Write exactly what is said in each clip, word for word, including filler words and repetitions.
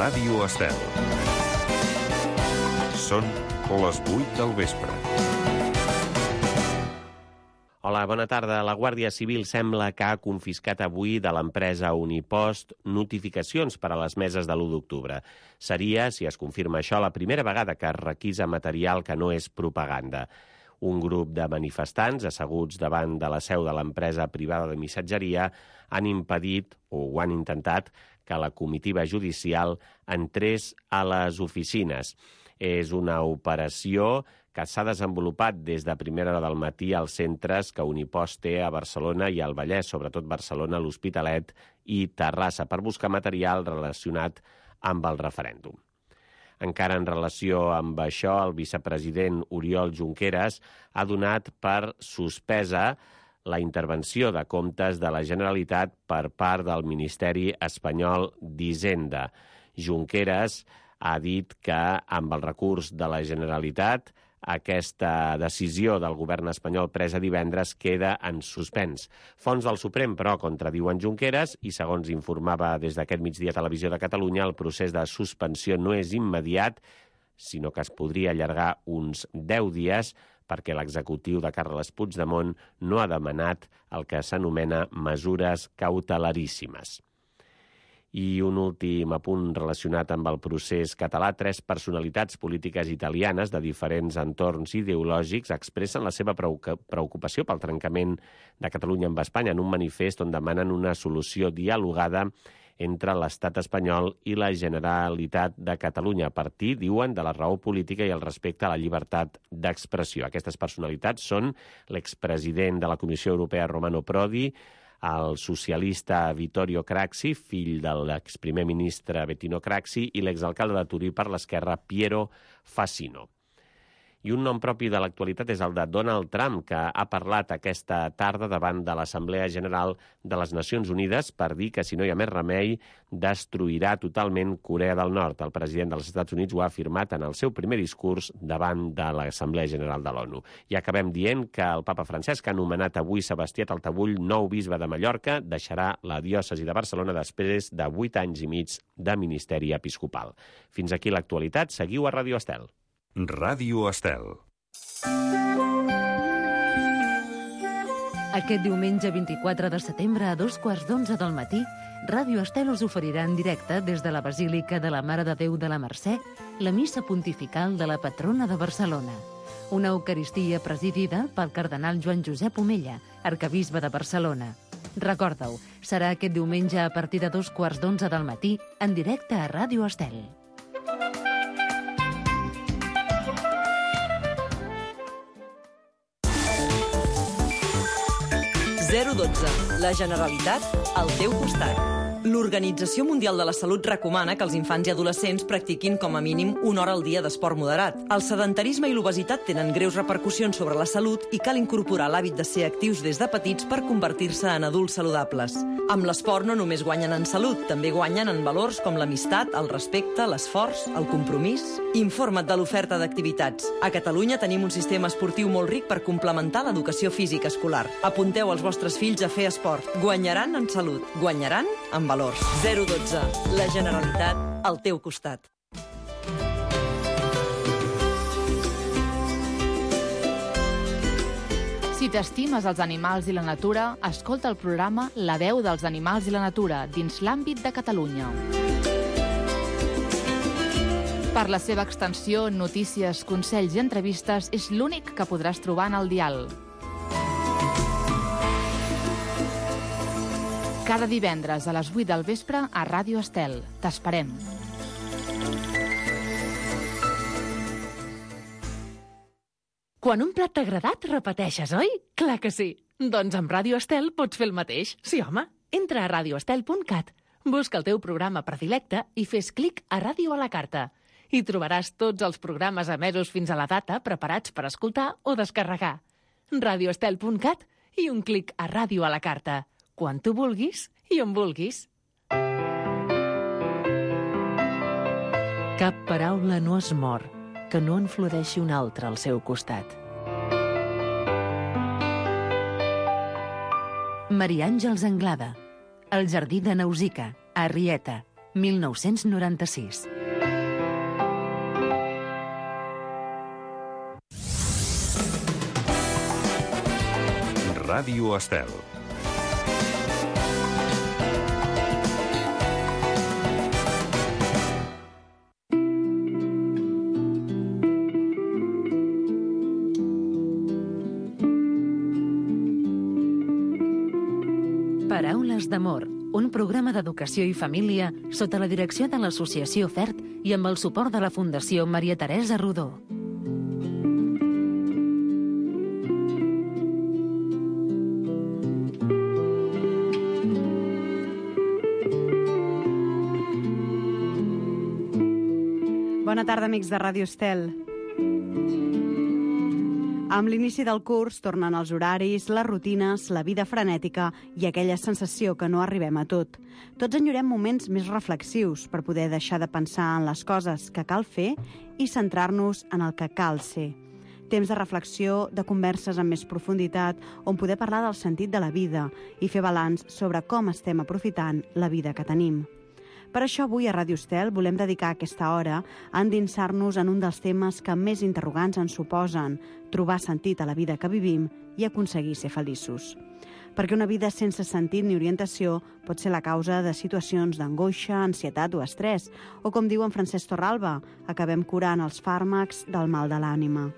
Ràdio Estel. Són les vuit del vespre. Hola, bona tarda. La Guàrdia Civil sembla que ha confiscat avui de l'empresa Unipost notificacions per a les meses de l'u d'octubre. Seria, si es confirma això, la primera vegada que es requisa material que no és propaganda. Un grup de manifestants asseguts davant de la seu de l'empresa privada de missatgeria han impedit, o ho han intentat, que la comitiva judicial entrés a les oficines. És una operació que s'ha desenvolupat des de primera hora del matí als centres que Unipost té a Barcelona i al Vallès, sobretot Barcelona, l'Hospitalet i Terrassa, per buscar material relacionat amb el referèndum. Encara en relació amb això, el vicepresident Oriol Junqueras ha donat per suspesa la intervenció de comptes de la Generalitat per part del Ministeri Espanyol d'Hisenda. Junqueras ha dit que amb el recurs de la Generalitat aquesta decisió del govern espanyol presa divendres queda en suspens. Fonts del Suprem, però, contradiuen Junqueras i, segons informava des d'aquest migdia Televisió de Catalunya, el procés de suspensió no és immediat, sinó que es podria allargar uns deu dies perquè l'executiu de Carles Puigdemont no ha demanat el que s'anomena mesures cautelaríssimes. I un últim apunt relacionat amb el procés català. Tres personalitats polítiques italianes de diferents entorns ideològics expressen la seva preocupació pel trencament de Catalunya amb Espanya en un manifest on demanen una solució dialogada entre l'estat espanyol i la Generalitat de Catalunya, a partir, diuen, de la raó política i el respecte a la llibertat d'expressió. Aquestes personalitats són l'expresident de la Comissió Europea, Romano Prodi, el socialista Vittorio Craxi, fill de l'exprimer ministre Bettino Craxi, i l'exalcalde de Turí per l'esquerra, Piero Fassino. I un nom propi de l'actualitat és el de Donald Trump, que ha parlat aquesta tarda davant de l'Assemblea General de les Nacions Unides per dir que, si no hi ha més remei, destruirà totalment Corea del Nord. El president dels Estats Units ho ha afirmat en el seu primer discurs davant de l'Assemblea General de l'ONU. I acabem dient que el papa Francesc ha nomenat avui Sebastià Taltabull nou bisbe de Mallorca, deixarà la diòcesi de Barcelona després de vuit anys i mig de ministeri episcopal. Fins aquí l'actualitat. Seguiu a Ràdio Estel. Ràdio Estel. Aquest diumenge vint-i-quatre de setembre a dos quarts d'onze del matí, Ràdio Estel us oferirà en directe des de la Basílica de la Mare de Déu de la Mercè la missa pontifical de la patrona de Barcelona. Una eucaristia presidida pel cardenal Joan Josep Omella, arquebisbe de Barcelona. Recorda-ho, serà aquest diumenge a partir de dos quarts d'onze del matí en directe a Ràdio Estel. zero dotze. La Generalitat al teu costat. L'Organització Mundial de la Salut recomana que els infants i adolescents practiquin com a mínim una hora al dia d'esport moderat. El sedentarisme i l'obesitat tenen greus repercussions sobre la salut i cal incorporar l'hàbit de ser actius des de petits per convertir-se en adults saludables. Amb l'esport no només guanyen en salut, també guanyen en valors com l'amistat, el respecte, l'esforç, el compromís. Informa't de l'oferta d'activitats. A Catalunya tenim un sistema esportiu molt ric per complementar l'educació física escolar. Apunteu els vostres fills a fer esport. Guanyaran en salut, guanyaran en valors. zero dotze. La Generalitat al teu costat. Si t'estimes els animals i la natura, escolta el programa La veu dels animals i la natura dins l'àmbit de Catalunya. Per la seva extensió, notícies, consells i entrevistes, és l'únic que podràs trobar en el dial. Cada divendres a les vuit del vespre a Ràdio Estel. T'esperem. Quan un plat t'ha agradat, repeteixes, oi? Clar que sí. Doncs amb Ràdio Estel pots fer el mateix. Sí, home. Entra a radio estel punt cat, busca el teu programa predilecte i fes clic a Ràdio a la carta. Hi trobaràs tots els programes emesos fins a la data preparats per escoltar o descarregar. radio estel punt cat i un clic a Ràdio a la carta. Quan tu vulguis i on vulguis. Cap paraula no es mor que no en floreixi una altra al seu costat. Maria Àngels Anglada, El jardí de Nausicaa, a Arrieta, mil nou-cents noranta-sis. Ràdio Estel. Paraules d'amor, un programa d'educació i família sota la direcció de l'Associació FERT i amb el suport de la Fundació Maria Teresa Rodó. Bona tarda, amics de Ràdio Estel. Amb l'inici del curs tornen els horaris, les rutines, la vida frenètica i aquella sensació que no arribem a tot. Tots enyorem moments més reflexius per poder deixar de pensar en les coses que cal fer i centrar-nos en el que cal ser. Temps de reflexió, de converses amb més profunditat, on poder parlar del sentit de la vida i fer balanç sobre com estem aprofitant la vida que tenim. Per això avui a Ràdio Estel volem dedicar aquesta hora a endinsar-nos en un dels temes que més interrogants ens suposen, trobar sentit a la vida que vivim i aconseguir ser feliços. Perquè una vida sense sentit ni orientació pot ser la causa de situacions d'angoixa, ansietat o estrès, o com diu en Francesc Torralba, acabem curant els fàrmacs del mal de l'ànima.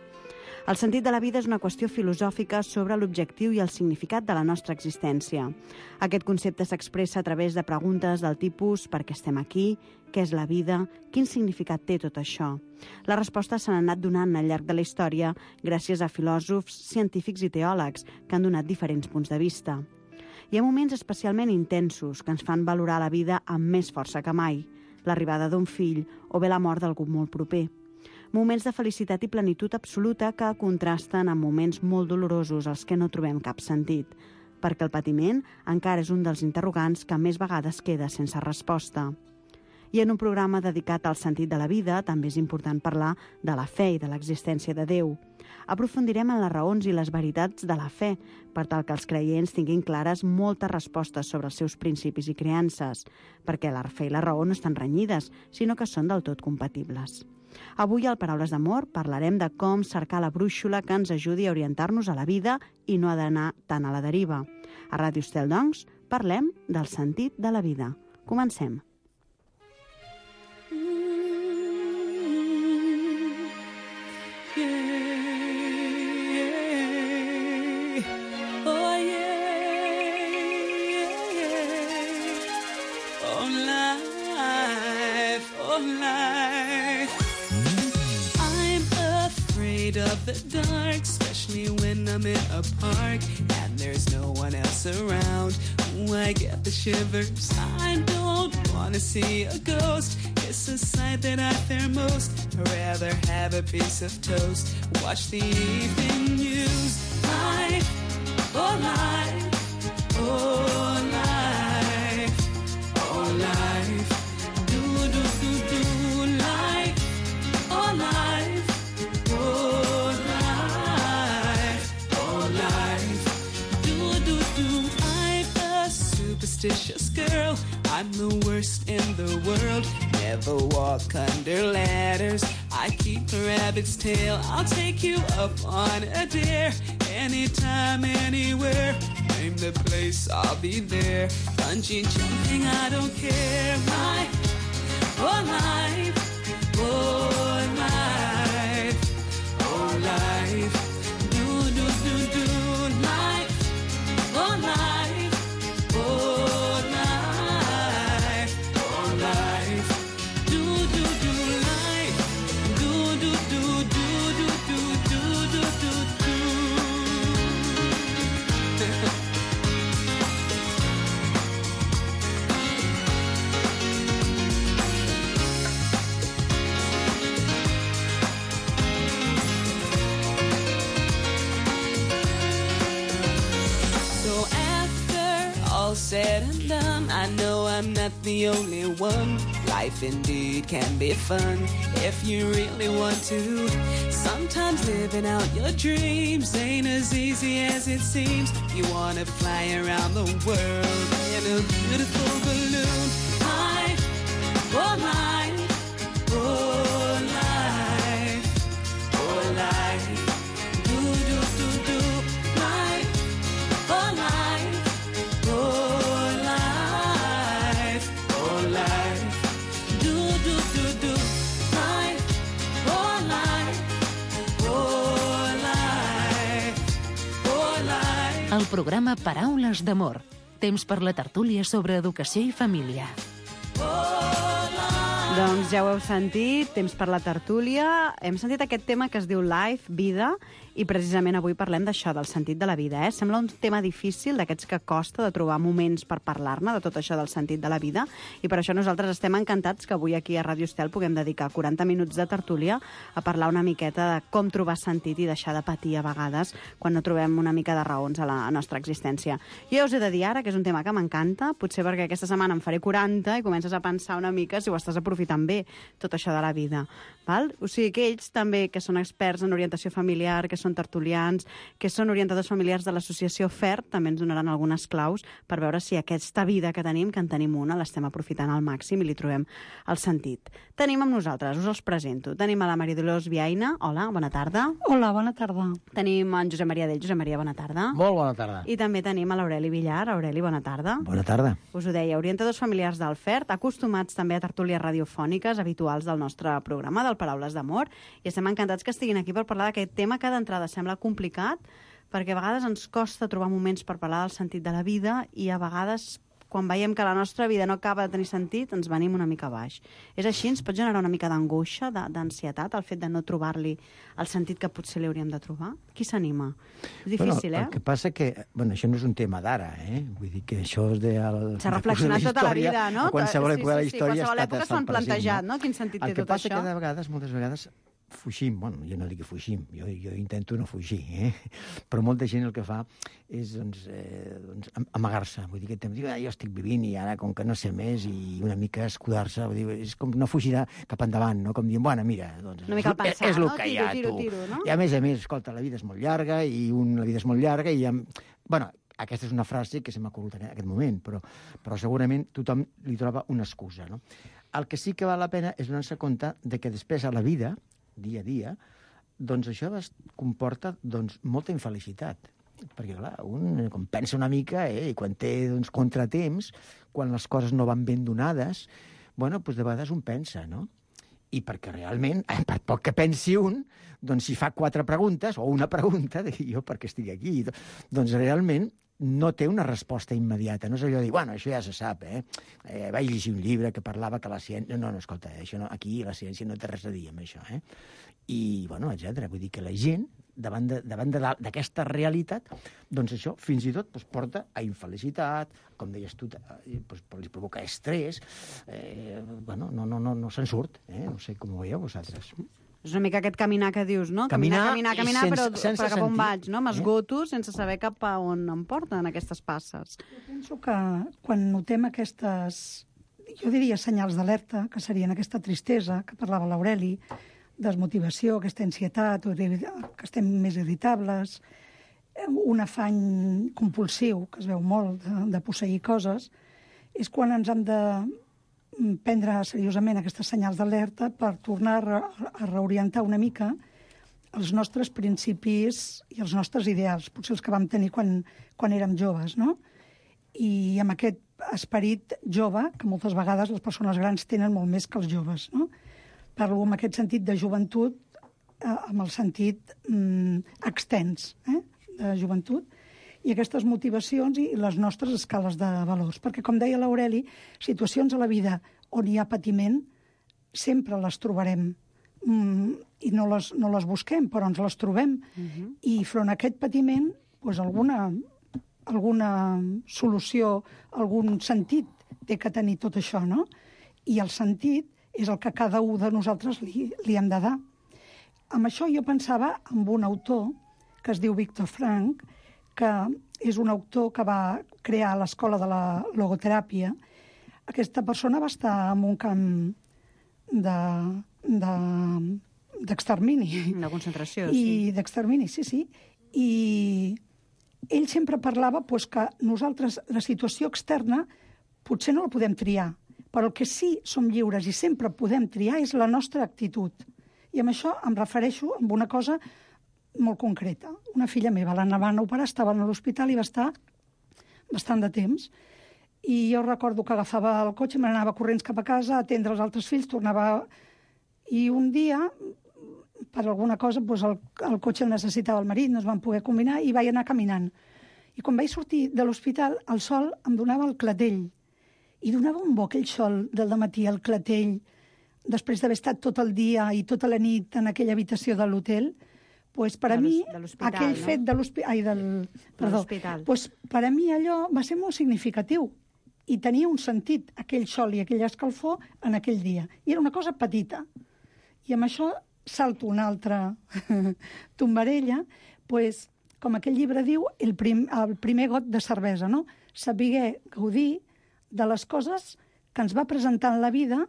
El sentit de la vida és una qüestió filosòfica sobre l'objectiu i el significat de la nostra existència. Aquest concepte s'expressa a través de preguntes del tipus per què estem aquí, què és la vida, quin significat té tot això. Les respostes s'han anat donant al llarg de la història gràcies a filòsofs, científics i teòlegs que han donat diferents punts de vista. Hi ha moments especialment intensos que ens fan valorar la vida amb més força que mai, l'arribada d'un fill o bé la mort d'algú molt proper. Moments de felicitat i plenitud absoluta que contrasten amb moments molt dolorosos als que no trobem cap sentit, perquè el patiment encara és un dels interrogants que més vegades queda sense resposta. I en un programa dedicat al sentit de la vida també és important parlar de la fe i de l'existència de Déu. Aprofundirem en les raons i les veritats de la fe, per tal que els creients tinguin clares moltes respostes sobre els seus principis i creences, perquè la fe i la raó no estan renyides, sinó que són del tot compatibles. Avui, al Paraules d'Amor, parlarem de com cercar la brúixola que ens ajudi a orientar-nos a la vida i no ha d'anar tant a la deriva. A Ràdio Estel, doncs, parlem del sentit de la vida. Comencem. Of the dark, especially when I'm in a park and there's no one else around. Ooh, I get the shivers. I don't want to see a ghost. It's a sight that I fear most. I'd rather have a piece of toast. Watch the evening news. Life, oh life, oh life, oh life. Do, do, do, do, life, oh life. Superstitious girl, I'm the worst in the world. Never walk under ladders. I keep a rabbit's tail. I'll take you up on a dare. Anytime, anywhere. Name the place, I'll be there. Bungee jumping, I don't care. My, oh life, oh life, oh life. Do, do, do, do, life, oh life. Said and done, I know I'm not the only one. Life indeed can be fun if you really want to. Sometimes living out your dreams ain't as easy as it seems. You wanna fly around the world in a beautiful balloon. Life, programa Paraules d'Amor. Temps per la tertúlia sobre educació i família. Doncs ja ho heu sentit, temps per la tertúlia. Hem sentit aquest tema que es diu Life, vida, i precisament avui parlem d'això, del sentit de la vida. Eh? Sembla un tema difícil, d'aquests que costa de trobar moments per parlar-ne, de tot això del sentit de la vida, i per això nosaltres estem encantats que avui aquí a Ràdio Estel puguem dedicar quaranta minuts de tertúlia a parlar una miqueta de com trobar sentit i deixar de patir a vegades quan no trobem una mica de raons a la nostra existència. Jo ja us he de dir ara que és un tema que m'encanta, potser perquè aquesta setmana en faré quaranta i comences a pensar una mica si ho estàs aprofitant bé, tot això de la vida. Val? O sigui que ells també, que són experts en orientació familiar, que són tertulians, que són orientadors familiars de l'associació F E R, també ens donaran algunes claus per veure si aquesta vida que tenim, que en tenim una, l'estem aprofitant al màxim i li trobem el sentit. Tenim amb nosaltres, us els presento. Tenim a la Maria Dolors Viaina. Hola, bona tarda. Hola, bona tarda. Tenim en Josep Maria Dell. Josep Maria, bona tarda. Molt bona tarda. I també tenim a l'Aureli Villar. Aureli, bona tarda. Bona tarda. Us ho deia, orientadors familiars del F E R, acostumats també a tertúlies radiofòniques habituals del nostre programa, del Paraules d'Amor, i estem encantats que estiguin aquí per parlar d'aquest tema que d'entrada sembla complicat, perquè a vegades ens costa trobar moments per parlar del sentit de la vida i a vegades, quan veiem que la nostra vida no acaba de tenir sentit, ens venim una mica baix. És així? Ens pot generar una mica d'angoixa, d'ansietat, el fet de no trobar-li el sentit que potser li hauríem de trobar? Qui s'anima? És difícil, bueno, eh? El que passa que, bueno, això no és un tema d'ara, eh? Vull dir que això és de... S'ha reflexionat tota la vida, no? A qualsevol sí, època sí, de la sí, història qualsevol ha època estat s'ho han plantejat, no? Quin sentit té tot això? El que passa que de vegades, moltes vegades, fugim, bueno, jo no dic que fugim, jo, jo intento no fugir, eh? Però molta gent el que fa és doncs, eh, doncs, amagar-se, vull dir que diu, ah, jo estic vivint i ara com que no sé més i una mica escudar-se, vull dir, és com no fugir cap endavant, no? Com dient, bueno, mira, doncs, una mica al pensar, és el no? que Tiro, hi ha, tiro, tu. tiro, no? I a més a més, escolta, la vida és molt llarga i un, la vida és molt llarga i... Amb... Bueno, aquesta és una frase que se m'ha ocorregut en aquest moment, però, però segurament tothom li troba una excusa, no? El que sí que val la pena és donar-se compte de que després a la vida, dia a dia, doncs això comporta doncs, molta infelicitat. Perquè, clar, un com pensa una mica, eh, i quan té doncs, contratemps, quan les coses no van ben donades, bueno, doncs de vegades un pensa, no? I perquè realment, per poc que pensi un, doncs si fa quatre preguntes, o una pregunta, de jo per què estic aquí, doncs realment no té una resposta immediata. No és allò de dir, bueno, això ja se sap, eh? eh vaig llegir un llibre que parlava que la ciència... No, no, escolta, això no, aquí la ciència no té res a dir amb això, eh? I, bueno, etcètera. Vull dir que la gent, davant d'aquesta realitat, doncs això, fins i tot, doncs, porta a infelicitat, com deies tu, doncs, li provoca estrès, eh, bueno, no, no, no, no se'n surt, eh? No sé com ho veieu vosaltres. És una mica aquest caminar que dius, no? Caminar, caminar, caminar, sense, però sense per cap on sentir, vaig, no? M'esgoto eh? sense saber cap a on em porten aquestes passes. Jo penso que quan notem aquestes, jo diria senyals d'alerta, que serien aquesta tristesa, que parlava l'Aureli, desmotivació, aquesta ansietat, que estem més irritables, un afany compulsiu, que es veu molt, de, de posseir coses, és quan ens hem de prendre seriosament aquestes senyals d'alerta per tornar a, a reorientar una mica els nostres principis i els nostres ideals, potser els que vam tenir quan, quan érem joves, no? I amb aquest esperit jove, que moltes vegades les persones grans tenen molt més que els joves, no? Parlo amb aquest sentit de joventut, eh, amb el sentit mm, extens, eh, de joventut, i aquestes motivacions i les nostres escales de valors. Perquè, com deia l'Aureli, situacions a la vida on hi ha patiment sempre les trobarem mm, i no les, no les busquem, però ens les trobem. Uh-huh. I front a aquest patiment, doncs alguna, alguna solució, algun sentit té que tenir tot això, no? I el sentit és el que cada un de nosaltres li, li hem de dar. Amb això jo pensava en un autor que es diu Viktor Frankl, que és un autor que va crear l'escola de la logoteràpia. Aquesta persona va estar en un camp d'extermini. De, de concentració, I, sí. D'extermini, sí, sí. I ell sempre parlava pues, que nosaltres la situació externa potser no la podem triar, però el que sí som lliures i sempre podem triar és la nostra actitud. I amb això em refereixo a una cosa molt concreta. Una filla meva, la van operar, estava a l'hospital i va estar bastant de temps. I jo recordo que agafava el cotxe, me n'anava corrents cap a casa, a atendre els altres fills, tornava... I un dia, per alguna cosa, doncs el, el cotxe el necessitava el marit, no es van poder combinar, i vaig anar caminant. I quan vaig sortir de l'hospital, el sol em donava el clatell. I donava un bo aquell sol del dematí, el clatell, després d'haver estat tot el dia i tota la nit en aquella habitació de l'hotel, pues per a De mi, l'hos- de l'hospital, aquell no? fet de l'hospital... Ai, del... Perdó. l'hospital. Pues per a mi allò va ser molt significatiu i tenia un sentit, aquell sol i aquella escalfor en aquell dia. I era una cosa petita. I amb això salto una altra tombarella, pues, com aquell llibre diu, el, prim, el primer got de cervesa, no? Saber gaudir de les coses que ens va presentar en la vida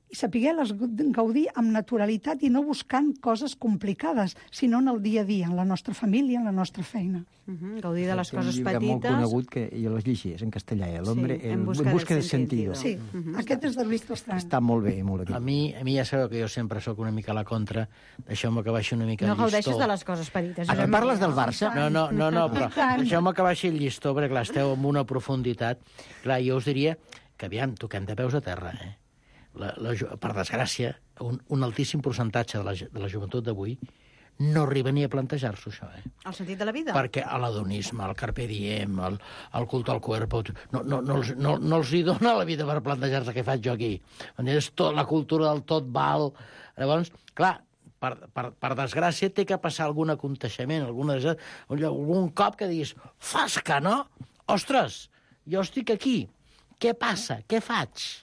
i saber-les gaudir amb naturalitat i no buscant coses complicades, sinó en el dia a dia, en la nostra família, en la nostra feina. Uh -huh. Gaudir de les Té un coses llibre petites... molt conegut que jo l'he llegit, en castellà, eh? L'hombre Sí, el, En busca en busca del de sentido. sentido. Sí, uh -huh. Aquest és de Luis Trostran. Està molt bé, molt bé. A mi, a mi ja sabeu que jo sempre sóc una mica a la contra. Deixeu-me que baixi una mica No el llistó. gaudeixes de les coses petites. Ah, Josep que parles Maria. del Barça? No, no, no, no però deixeu-me que baixi el llistó, perquè clar, esteu amb una profunditat. Clar, jo us diria que, aviam, toquem de peus a terra, eh? La, la, ju- per desgràcia, un, un altíssim percentatge de la, ge- de la joventut d'avui no arriba ni a plantejar-s'ho, això, eh? El sentit de la vida? Perquè l'adonisme, el carpe diem, el, el culto al cuerpo, no, no, no, els, no, no els hi dona la vida per plantejar-se què faig jo aquí. És tot, la cultura del tot val. Llavors, clar, per, per, per desgràcia té que passar algun aconteixement, alguna, algun cop que diguis, fas que no? Ostres, jo estic aquí. Què passa? Què faig?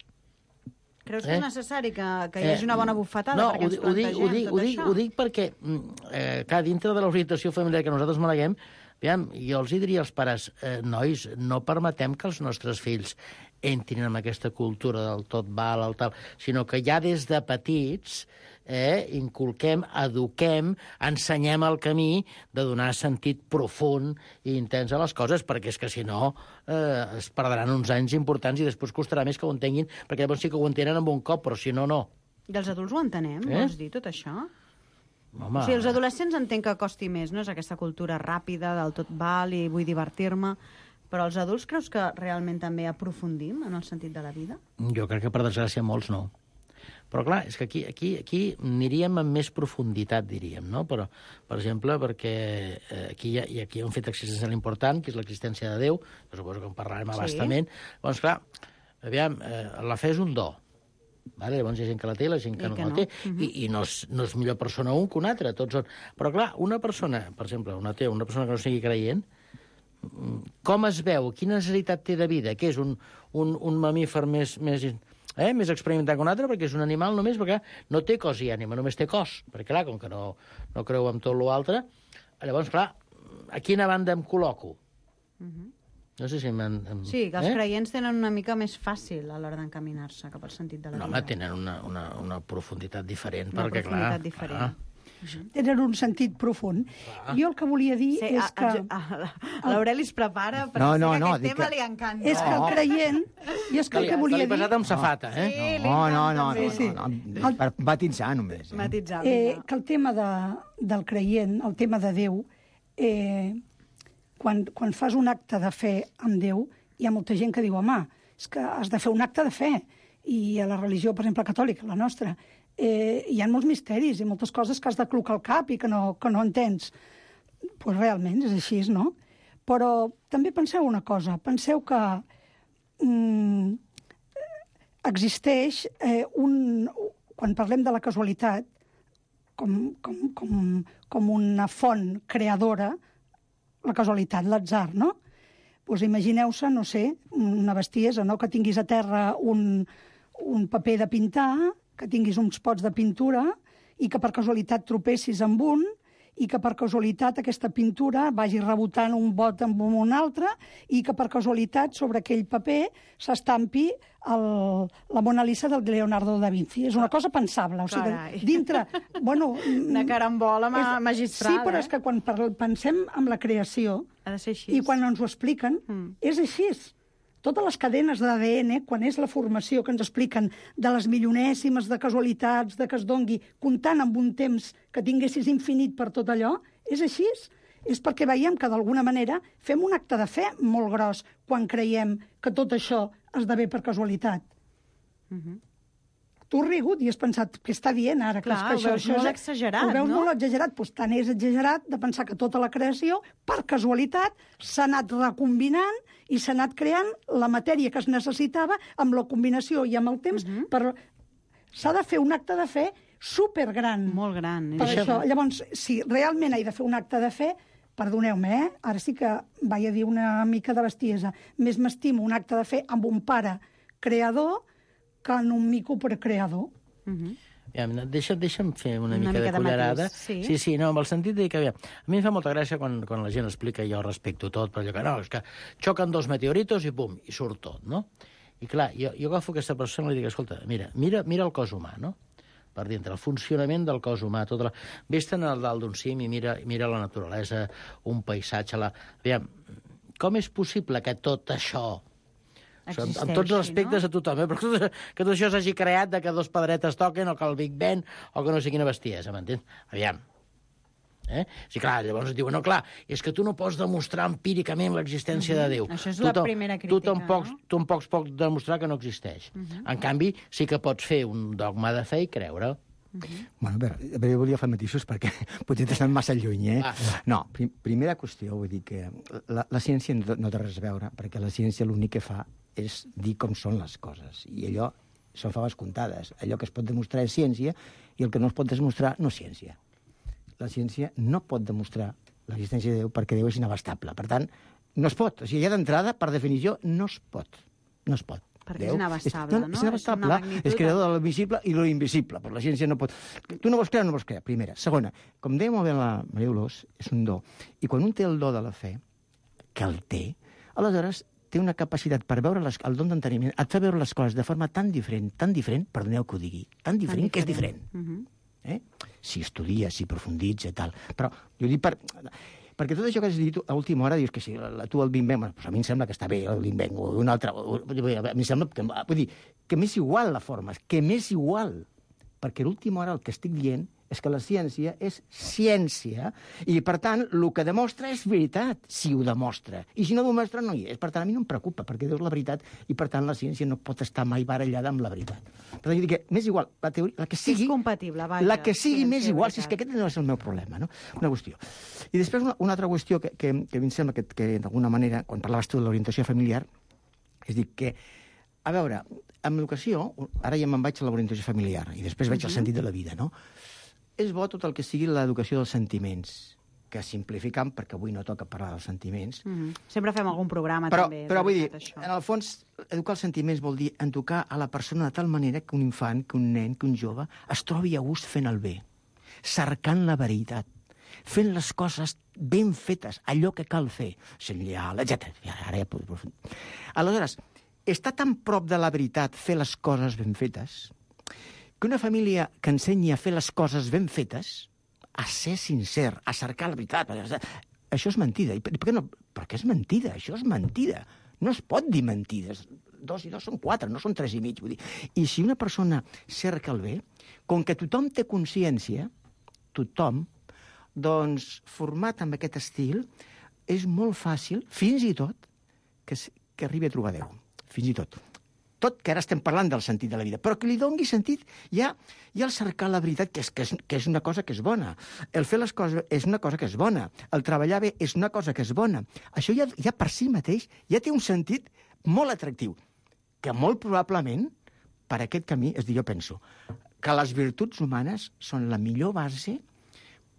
Creus que Eh? és necessari que, que hi hagi una bona bufetada no, perquè ho, ens di- ho, dic, plantegem ho, dic, tot ho, dic, això? ho dic perquè, mm, eh, clar, dintre de l'orientació familiar que nosaltres maneguem, aviam, jo els hi diria als pares, eh, nois, no permetem que els nostres fills entrin en aquesta cultura del tot val, el tal, sinó que ja des de petits eh, inculquem, eduquem, ensenyem el camí de donar sentit profund i intens a les coses, perquè és que si no eh, es perdran uns anys importants i després costarà més que ho entenguin, perquè llavors sí que ho entenen amb un cop, però si no, no. I els adults ho entenem, Eh? vols dir, tot això? Home, O sigui, els adolescents entenc que costi més, no? És aquesta cultura ràpida del tot val i vull divertir-me, però els adults creus que realment també aprofundim en el sentit de la vida? Jo crec que, per desgràcia, molts no. Però, clar, és que aquí, aquí, aquí aniríem amb més profunditat, diríem, no? Però, per exemple, perquè eh, aquí, hi ha, i aquí hi ha un fet existencial important, que és l'existència de Déu, que suposo que en parlarem Sí. abastament. Llavors, clar, aviam, eh, la fe és un do. Vale? Llavors hi ha gent que la té i la gent que I no que la no. té. Mhm. I, I no és, no és millor persona un que un altre, tots són... Però, clar, una persona, per exemple, una atea, una persona que no sigui creient, com es veu? Quina necessitat té de vida? Què és un, un, un mamífer més, més, eh, més experimentat que un altre? Perquè és un animal només, perquè no té cos i ànima, només té cos. Perquè, clar, com que no, no creu en tot l'altre, llavors, clar, a quina banda em col·loco? Mhm. No sé si m'han... em- Sí, que els eh? creients tenen una mica més fàcil a l'hora d'encaminar-se cap al sentit de la No, vida. home, tenen una, una, una profunditat diferent, Una perquè, profunditat clar... diferent. clar, Tenen un sentit profund. Jo el que volia dir Sí, és a, que... a, a l'Aureli es prepara, però No, sé no, que no, aquest dic tema que- li encanta. És que el creient... Jo és que que el li, que que volia li he dir... passat amb safata, eh? Sí, li No, no, no, encanta, no, sí, sí. no, no, per batitzar només. Eh? Matitzar, Eh, vinga. que el tema de, del creient, el tema de Déu, eh, quan, quan fas un acte de fe amb Déu, hi ha molta gent que diu, home, és que has de fer un acte de fe. I a la religió, per exemple, catòlica, la nostra, eh, hi ha molts misteris i moltes coses que has de clocar al cap i que no, que no entens. Doncs pues realment és així, no? Però també penseu una cosa, penseu que mm, existeix eh, un... Quan parlem de la casualitat, com, com, com, com una font creadora, la casualitat, l'atzar, no? Doncs imagineu-se, no sé, una bestiesa, no?, que tinguis a terra un, un paper de pintar, que tinguis uns pots de pintura i que per casualitat tropessis amb un i que per casualitat aquesta pintura vagi rebotant un bot amb un altre i que per casualitat sobre aquell paper s'estampi el, la Mona Lisa del Leonardo da Vinci. És una cosa pensable. O sigui, Carai. dintre... Bueno, Una carambola ma és- magistral, Sí, però eh? és que quan parl- pensem en la creació Ha de ser així. i quan ens ho expliquen, Mm. és així. Totes les cadenes d'A D N, quan és la formació que ens expliquen de les milionèsimes de casualitats, de que es dongui, comptant amb un temps que tinguessis infinit per tot allò, és així. És perquè veiem que, d'alguna manera, fem un acte de fe molt gros quan creiem que tot això esdevé per casualitat. tu has rigut i has pensat què està dient ara? Clar, que ho veus això molt és... exagerat, ho veus no? molt exagerat, doncs tant és exagerat de pensar que tota la creació, per casualitat, s'ha anat recombinant i s'ha anat creant la matèria que es necessitava amb la combinació i amb el temps. Uh -huh. per... S'ha de fer un acte de fe supergran. Molt gran. Per això, llavors, si realment he de fer un acte de fe, perdoneu-me, eh? Ara sí que vaig a dir una mica de bestiesa. Més m'estimo un acte de fe amb un pare creador que en un mico precreador. Uh -huh. Ja, deixa, deixa'm fer una, una mica, mica de cullerada. De sí. sí, sí, no, amb el sentit de que, aviam, a mi em fa molta gràcia quan, quan la gent explica, jo respecto tot, però allò que no, és que xoquen dos meteoritos i pum, i surt tot, no? I clar, jo, jo agafo aquesta persona i li dic, escolta, mira, mira, mira el cos humà, no? Per dintre, el funcionament del cos humà, tota la... Vés-te'n al dalt d'un cim i mira, mira la naturalesa, un paisatge... La... Aviam, com és possible que tot això... Existeixi, amb tots els aspectes no? A tothom, eh? Però que, que tot això s'hagi creat de que dos pedretes toquen o que el Big Bang o que no sé quina bestiesa, m'entens? Aviam. Eh? Sí, clar, llavors et diuen, no, clar, és que tu no pots demostrar empíricament l'existència uh-huh. de Déu. Això és tu la primera crítica, tu tampoc, no? Tu tampoc pots demostrar que no existeix. Uh-huh. En canvi, sí que pots fer un dogma de fe i creure. Uh-huh. Bueno, a veure, a veure, jo volia fer matisos perquè potser t'estan massa lluny, eh? Ah. No, prim, primera qüestió, vull dir que la, la ciència no, no té res a veure, perquè la ciència l'únic que fa és dir com són les coses, i allò són faves comptades. Allò que es pot demostrar és ciència, i el que no es pot demostrar no és ciència. La ciència no pot demostrar l'existència de Déu perquè Déu és inabastable. Per tant, no es pot. O sigui, ja d'entrada, per definició, no es pot. No es pot. Perquè Déu és inabastable, és, no? no? És inabastable, és, és creador de l'invisible i lo invisible, però la ciència no pot... Tu no vols crear, no vols crear, primera. Segona, com deia molt bé la Maria Dolors, és un do. I quan un té el do de la fe, que el té, aleshores té una capacitat per veure les, el don d'enteniment, et fa veure les coses de forma tan diferent, tan diferent, perdoneu que ho digui, tan diferent, tan diferent. que és diferent. Uh -huh. eh? Si estudies, si profunditza i tal. Però jo dic per... Perquè tot això que has dit a última hora, dius que si la, tu el Big Bang, pues a mi em sembla que està bé el Big Bang, o un altre... O, a mi em sembla que... Vull dir, que m'és igual la forma, que m'és igual. Perquè a l'última hora el que estic dient és que la ciència és ciència i, per tant, el que demostra és veritat, si ho demostra. I si no ho demostra, no hi és. Per tant, a mi no em preocupa, perquè Déu és la veritat i, per tant, la ciència no pot estar mai barallada amb la veritat. Per tant, jo dic que m'és igual, la teoria, la que sigui... És compatible, vaja. La que sigui m'és igual, si és que aquest no és el meu problema, no? Una qüestió. I després una, una altra qüestió que, que, que a mi em sembla que, que d'alguna manera, quan parlaves tu de l'orientació familiar, és dir que, a veure, amb l'educació, ara ja me'n vaig a l'orientació familiar i després veig uh-huh. el sentit de la vida, no? És bo tot el que sigui l'educació dels sentiments, que simplificant, perquè avui no toca parlar dels sentiments. Mm-hmm. Sempre fem algun programa, però, també. Però vull dir, això. en el fons, educar els sentiments vol dir educar a la persona de tal manera que un infant, que un nen, que un jove es trobi a gust fent el bé, cercant la veritat, fent les coses ben fetes, allò que cal fer, sent lleial, etcètera. Ara ja puc aprofundir. Aleshores, està tan prop de la veritat fer les coses ben fetes que una família que ensenyi a fer les coses ben fetes, a ser sincer, a cercar la veritat, això és mentida. I per què no? Perquè és mentida, això és mentida. No es pot dir mentides. Dos i dos són quatre, no són tres i mig. Vull dir. I si una persona cerca el bé, com que tothom té consciència, tothom, doncs, format amb aquest estil, és molt fàcil, fins i tot, que, que arribi a trobar Déu. Fins i tot. Tot que ara estem parlant del sentit de la vida, però que li doni sentit ja, ja el cercar la veritat, que és, que, és, que és una cosa que és bona. El fer les coses és una cosa que és bona. El treballar bé és una cosa que és bona. Això ja, ja per si mateix ja té un sentit molt atractiu, que molt probablement per aquest camí, és dir, jo penso, que les virtuts humanes són la millor base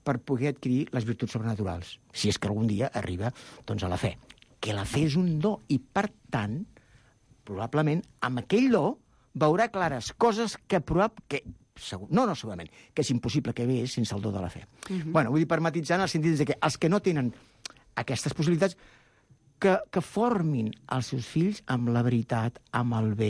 per poder adquirir les virtuts sobrenaturals, si és que algun dia arriba doncs, a la fe. Que la fe és un do i, per tant, probablement, amb aquell do veurà clares coses que, probab... que segur... no, no segurament, que és impossible que veus sense el do de la fe. Uh-huh. Bueno, vull dir, per matitzar en el sentit de que els que no tenen aquestes possibilitats, que, que formin els seus fills amb la veritat, amb el bé,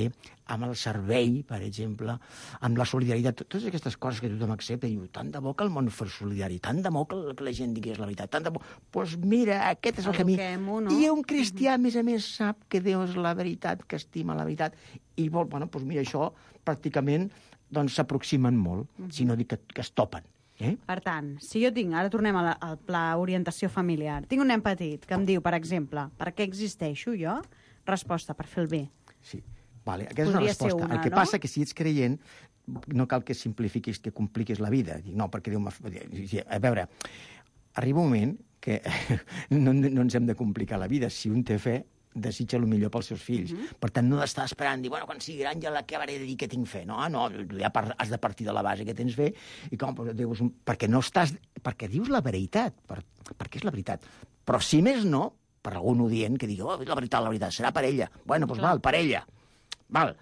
amb el servei, per exemple, amb la solidaritat, totes aquestes coses que tothom accepta, i diu, tant de bo que el món fos solidari, tant de bo que la gent digués la veritat, tant de bo... Doncs pues mira, aquest és el camí. No? I un cristià, a més a més, sap que Déu és la veritat, que estima la veritat, i vol, bueno, doncs mira, això pràcticament doncs s'aproximen molt, uh-huh. si no dic que, que es topen. Eh? Per tant, si jo tinc, ara tornem a la, al pla orientació familiar, tinc un nen petit que em diu, per exemple, per què existeixo jo? Resposta, per fer el bé. Sí. Vale, aquesta Podria és una resposta. ser una, el que no? passa que si ets creient no cal que simplifiquis, que compliquis la vida. Dic, no, perquè Déu m'ha... A veure, arriba un moment que no, no ens hem de complicar la vida. Si un té fe, desitja el millor pels seus fills. Uh -huh. Per tant, no d'estar esperant, dir, bueno, quan sigui gran ja l'acabaré de dir que tinc fe. No, no, ja has de partir de la base que tens fe, i com, dius, perquè no estàs... perquè dius la veritat, per, perquè és la veritat. Però si més no, per algun odient que digui, oh, la veritat, la veritat, serà per ella. Bueno, doncs val, per ella. Val.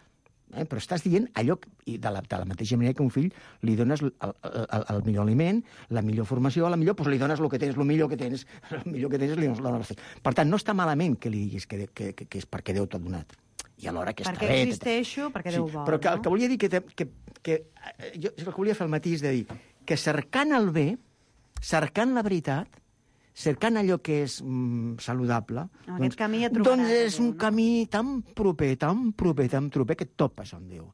Eh, però estàs dient allò, i de la, de la mateixa manera que a un fill li dones el, el, el millor aliment, la millor formació, la millor, doncs li dones el que tens, el millor que tens, el millor que tens li dones la fe. Per tant, no està malament que li diguis que, que, que, que és perquè Déu t'ha donat. I alhora que està perquè bé... existeixo, perquè Déu vol, però que, no? el que volia dir que... que, que jo el que volia fer el matí és de dir que cercant el bé, cercant la veritat, cercant allò que és mm, saludable... En doncs, aquest camí ja trobaràs doncs és Déu, un no? camí tan proper, tan proper, tan proper, que et topes amb Déu.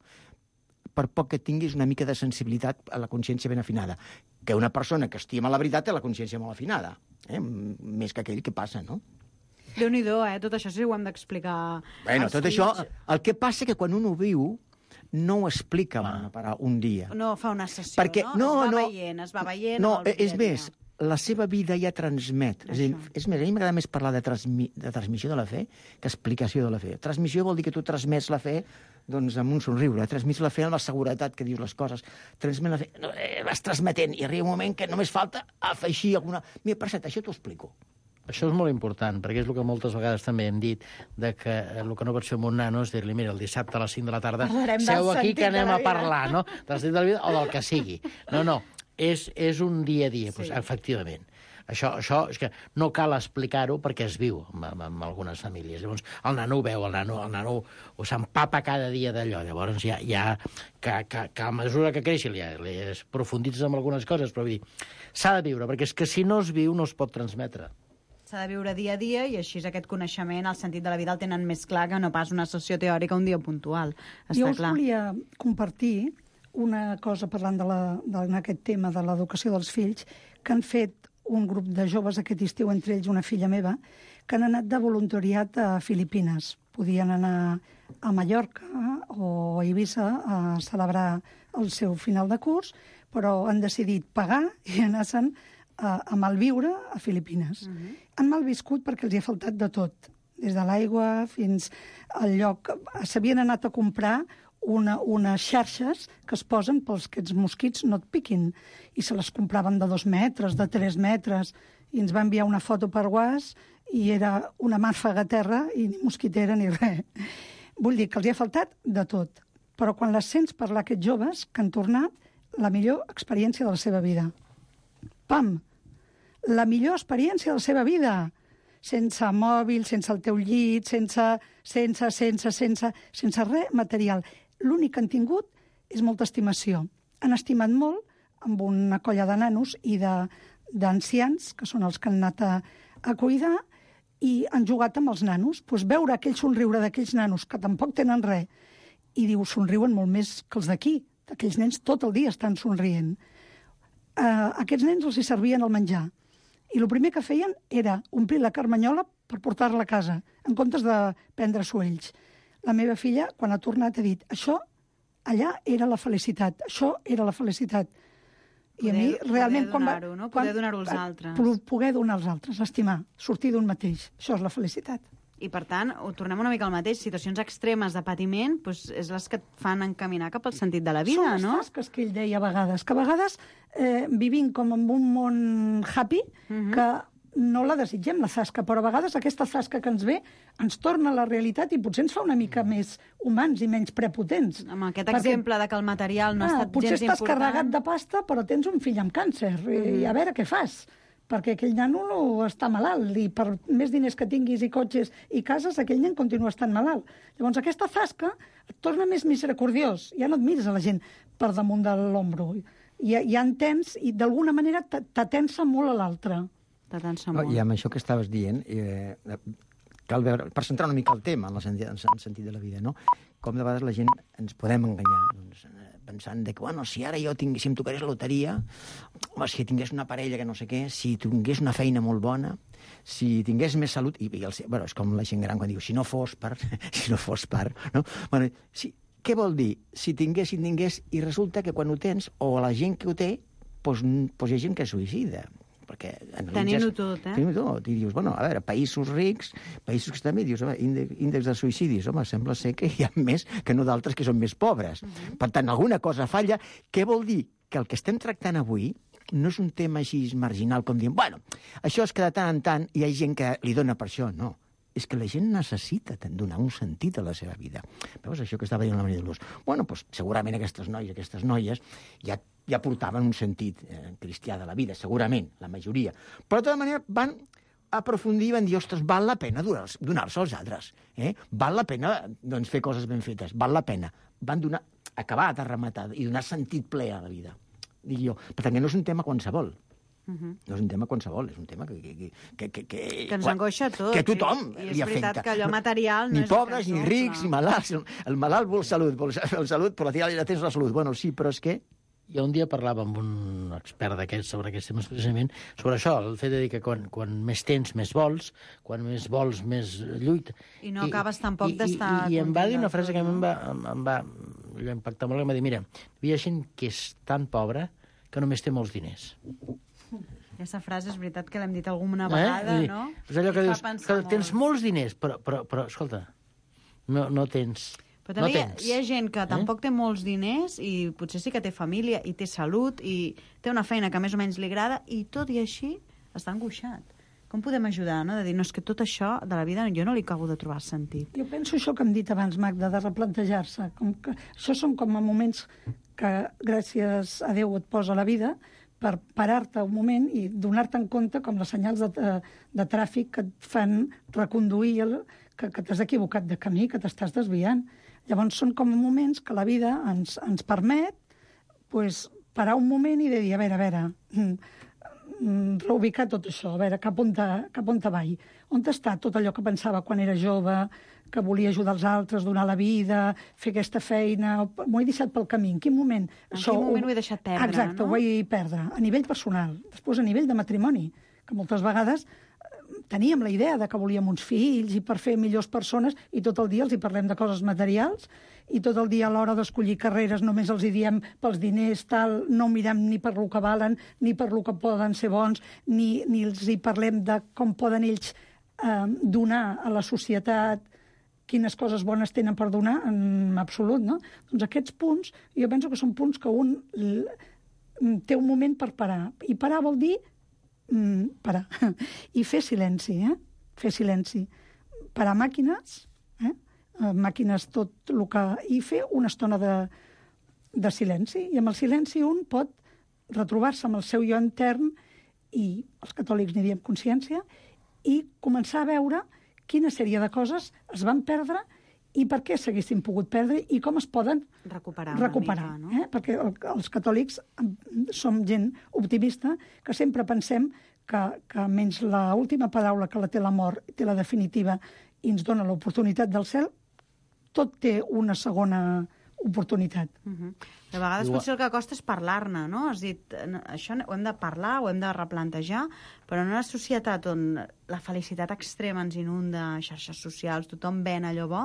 Per poc que tinguis una mica de sensibilitat a la consciència ben afinada. Que una persona que estima la veritat té la consciència molt afinada. Eh? Més que aquell que passa, no? Déu-n'hi-do, eh? Tot això sí ho hem d'explicar. Bueno, als tot fills. això... El que passa que quan un ho viu, no ho explica amb una paraula, un dia. No fa una sessió, Perquè, no? no, es va no, veient, es va veient... No, el dia és a més, dia. la seva vida ja transmet. És, dir, és més, a mi m'agrada més parlar de, transmi, de transmissió de la fe que explicació de la fe. Transmissió vol dir que tu transmets la fe doncs, amb un somriure. Transmets la fe amb la seguretat que dius les coses. Transmets la fe... No, eh, vas transmetent i arriba un moment que només falta afegir alguna... Mira, per cert, això t'ho explico. Això és molt important, perquè és el que moltes vegades també hem dit, de que el que no pots fer amb un nano és dir-li, mira, el dissabte a les cinc de la tarda Parlarem del seu aquí sentit que anem de la a vida. parlar, no? Del sentit de la vida o del que sigui. No, no, és, és un dia a dia, Sí. doncs, efectivament. Això, això és que no cal explicar-ho perquè es viu amb, amb, amb algunes famílies. Llavors, el nano ho veu, el nano, el nano ho s'empapa cada dia d'allò. Llavors, ja, ja que, que, que a mesura que creixi li, li es profunditzes en algunes coses, però vull dir, s'ha de viure, perquè és que si no es viu no es pot transmetre. S'ha de viure dia a dia i així aquest coneixement, el sentit de la vida el tenen més clar que no pas una sessió teòrica un dia puntual. Està Jo us clar. volia compartir una cosa parlant de la, de, en aquest tema de l'educació dels fills, que han fet un grup de joves aquest estiu, entre ells una filla meva, que han anat de voluntariat a Filipines. Podien anar a Mallorca o a Eivissa a celebrar el seu final de curs, però han decidit pagar i anar-se'n a, a malviure a Filipines. Uh -huh. Han malviscut perquè els hi ha faltat de tot, des de l'aigua fins al lloc... S'havien anat a comprar una, unes xarxes que es posen pels que els mosquits no et piquin, i se les compraven de dos metres, de tres metres, i ens va enviar una foto per WhatsApp i era una mànfaga a terra i ni mosquitera ni res. Vull dir que els hi ha faltat de tot, però quan les sents parlar aquests joves que han tornat, la millor experiència de la seva vida. Pam! La millor experiència de la seva vida! Sense mòbil, sense el teu llit, sense, sense, sense, sense, sense res material. L'únic que han tingut és molta estimació. Han estimat molt amb una colla de nanos i d'ancians, que són els que han anat a, a cuidar, i han jugat amb els nanos. Pues veure aquell somriure d'aquells nanos, que tampoc tenen res, i diu, somriuen molt més que els d'aquí. Aquells nens tot el dia estan somrient. Uh, aquests nens els hi servien el menjar. I el primer que feien era omplir la carmanyola per portar-la a casa, en comptes de prendre-s'ho ells. La meva filla, quan ha tornat, ha dit, això allà era la felicitat, això era la felicitat. I a mi, realment, quan va... Poder donar-ho, no? Poder donar-ho als altres. Poder donar als altres, estimar, sortir d'un mateix. Això és la felicitat. I, per tant, ho tornem una mica al mateix. Situacions extremes de patiment doncs, és les que et fan encaminar cap al sentit de la vida, Són les no? tasques que ell deia a vegades, que a vegades eh, vivim com en un món happy, uh -huh. que no la desitgem, la tasca, però a vegades aquesta tasca que ens ve ens torna a la realitat i potser ens fa una mica més humans i menys prepotents. Amb aquest Perquè, exemple de que el material no ha ah, estat potser gens estàs important. carregat de pasta, però tens un fill amb càncer, uh -huh. i a veure què fas. Perquè aquell nano no està malalt, i per més diners que tinguis i cotxes i cases, aquell nen continua estant malalt. Llavors, aquesta tasca et torna més misericordiós. Ja no et mires a la gent per damunt de l'ombro. Ja, ja entens, i d'alguna manera t'atensa molt a l'altre. T'atensa No, molt. I amb això que estaves dient, eh, cal veure, per centrar una mica el tema en el sentit, en el sentit de la vida, no? Com de vegades la gent ens podem enganyar. Doncs, eh, pensant de que, bueno, si ara jo tingués, si em tocarés la loteria, home, si tingués una parella que no sé què, si tingués una feina molt bona, si tingués més salut... I, i el, bueno, és com la gent gran quan diu, si no fos per... si no fos per... No? Bueno, si, què vol dir? Si tingués, si tingués... I resulta que quan ho tens, o la gent que ho té, doncs, doncs hi ha gent que es suïcida. Perquè Tenint-ho tot, eh? Tenint-ho tot. I dius, bueno, a veure, països rics, països que estan bé, dius, home, índex, índex de suïcidis, home, sembla ser que hi ha més que no d'altres que són més pobres. Uh-huh. Per tant, alguna cosa falla. Què vol dir? Que el que estem tractant avui no és un tema així marginal, com dient, bueno, això és que de tant en tant hi ha gent que li dona per això. No. És que la gent necessita donar un sentit a la seva vida. Veus, això que estava dient la Maria de Luz? Bueno, doncs, segurament aquestes noies, aquestes noies ja, ja portaven un sentit eh, cristià de la vida, segurament, la majoria. Però, de tota manera, van aprofundir i van dir, ostres, val la pena donar-se donar-se als altres. Eh? Val la pena doncs, fer coses ben fetes. Val la pena. Van donar, acabar de rematar i donar sentit ple a la vida. Dic jo. Per tant, que no és un tema qualsevol. Uh-huh. No és un tema qualsevol, és un tema que... Que, que, que, que, que ens angoixa a tots. Que tothom i, li i és veritat afecta. que allò material no ni és... Ni pobres, ni rics, ni malalts. El malalt vol salut, vol salut, però la tia ja tens la salut. Bueno, sí, però és que... Jo un dia parlava amb un expert d'aquests sobre aquests temes precisament, sobre això, el fet de dir que quan, quan més tens, més vols, quan més vols, més lluita. I no I, acabes tampoc d'estar... I, i, I em va dir una frase que a mi em va, em, em va, em va impactar molt, que em va dir, mira, hi ha gent que és tan pobra que només té molts diners. Aquesta frase és veritat que l'hem dit alguna vegada, eh? no? És allò que dius, que tens molt. molts diners, però, però, però escolta, no, no tens... Però també no hi, ha, hi ha gent que eh? tampoc té molts diners i potser sí que té família i té salut i té una feina que més o menys li agrada i tot i així està angoixat. Com podem ajudar, no? De dir, no, és que tot això de la vida jo no li acabo de trobar sentit. Jo penso això que hem dit abans, Magda, de replantejar-se. Com que això són com a moments que, gràcies a Déu, et posa la vida per parar-te un moment i donar-te en compte com les senyals de, de, de tràfic que et fan reconduir, el, que, que t'has equivocat de camí, que t'estàs desviant. Llavors són com moments que la vida ens, ens permet pues, parar un moment i de dir, a veure, a veure, mm, reubicar tot això, a veure, cap on, te, cap on te vai? On està tot allò que pensava quan era jove, que volia ajudar els altres, donar la vida, fer aquesta feina, m'ho he deixat pel camí. En quin moment? En això, quin moment ho he deixat perdre, exacte, no? ho he perdre, a nivell personal. Després, a nivell de matrimoni, que moltes vegades teníem la idea de que volíem uns fills i per fer millors persones i tot el dia els hi parlem de coses materials i tot el dia a l'hora d'escollir carreres només els hi diem pels diners, tal, no mirem ni per lo que valen, ni per lo que poden ser bons, ni, ni els hi parlem de com poden ells eh, donar a la societat, quines coses bones tenen per donar, en absolut, no? Doncs aquests punts, jo penso que són punts que un té un moment per parar. I parar vol dir mm, parar. I fer silenci, eh? Fer silenci. Parar màquines, eh? Màquines tot el que... I fer una estona de, de silenci. I amb el silenci un pot retrobar-se amb el seu jo intern i els catòlics n'hi diem consciència i començar a veure quina sèrie de coses es van perdre i per què s'haguessin pogut perdre i com es poden recuperar. recuperar mica, no? eh? Perquè el, els catòlics som gent optimista, que sempre pensem que, que menys l'última paraula que la té la mort, té la definitiva i ens dona l'oportunitat del cel, tot té una segona oportunitat. Uh-huh. De vegades Igual. potser el que costa és parlar-ne, no? Has dit, això ho hem de parlar, ho hem de replantejar, però en una societat on la felicitat extrema ens inunda, xarxes socials, tothom ven allò bo,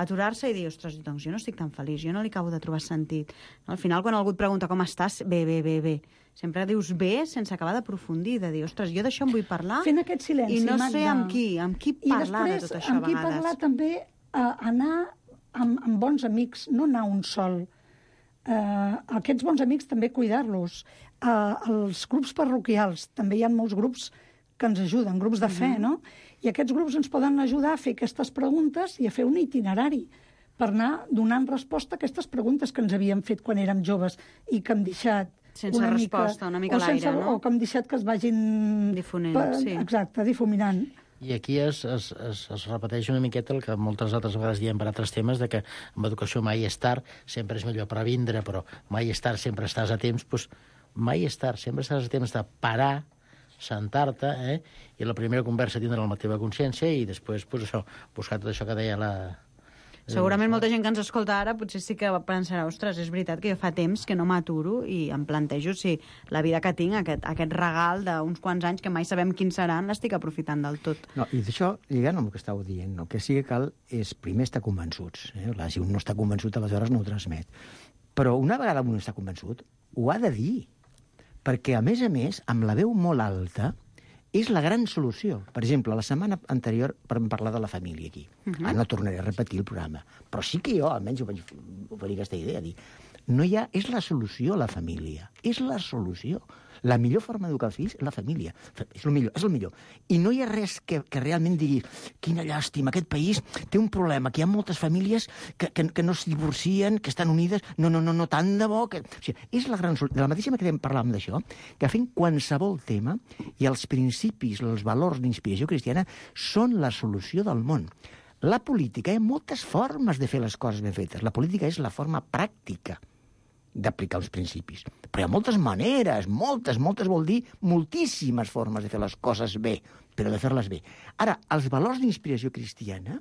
aturar-se i dir, ostres, doncs jo no estic tan feliç, jo no li acabo de trobar sentit. Al final, quan algú et pregunta com estàs, bé, bé, bé, bé. Sempre dius bé sense acabar d'aprofundir, de dir, ostres, jo d'això em vull parlar Fent aquest silenci, i no Magda. sé amb qui, amb qui parlar I de tot això a vegades. I després, amb qui vegades. parlar també, eh, anar amb, amb bons amics, no anar un sol. Uh, aquests bons amics també cuidar-los. Uh, els grups parroquials, també hi ha molts grups que ens ajuden, grups de fe, uh-huh. no? I aquests grups ens poden ajudar a fer aquestes preguntes i a fer un itinerari per anar donant resposta a aquestes preguntes que ens havíem fet quan érem joves i que hem deixat sense una resposta, mica, una mica a l'aire, no? O que hem deixat que es vagin... Difonent, per, sí. Exacte, difuminant. I aquí es, es, es, es repeteix una miqueta el que moltes altres vegades diem per altres temes, de que amb educació mai és tard, sempre és millor previndre, però mai és tard, sempre estàs a temps, doncs mai és tard, sempre estàs a temps de parar, sentar-te, eh? I la primera conversa tindre la teva consciència i després, pues, això, buscar tot això que deia la, Segurament molta gent que ens escolta ara potser sí que pensarà, ostres, és veritat que jo fa temps que no m'aturo i em plantejo si la vida que tinc, aquest, aquest regal d'uns quants anys que mai sabem quins seran, l'estic aprofitant del tot. No, i d'això, lligant amb el que estàu dient, el que sí que cal és primer estar convençuts. Eh? Clar, si un no està convençut, aleshores no ho transmet. Però una vegada un està convençut, ho ha de dir. Perquè, a més a més, amb la veu molt alta, és la gran solució. Per exemple, la setmana anterior vam parlar de la família aquí. Uh -huh. Ara no tornaré a repetir el programa. Però sí que jo, almenys, ho vaig oferir aquesta idea, dir, no hi ha... És la solució, la família. És la solució. La millor forma d'educar els fills és la família. És el millor, és el millor. I no hi ha res que, que realment digui quina llàstima, aquest país té un problema, que hi ha moltes famílies que, que, que no es divorcien, que estan unides, no, no, no, no tant de bo... Que... O sigui, és la gran solució. De la mateixa manera que parlàvem d'això, que fent qualsevol tema i els principis, els valors d'inspiració cristiana són la solució del món. La política, hi ha moltes formes de fer les coses ben fetes. La política és la forma pràctica d'aplicar uns principis. Però hi ha moltes maneres, moltes, moltes vol dir moltíssimes formes de fer les coses bé, però de fer-les bé. Ara, els valors d'inspiració cristiana,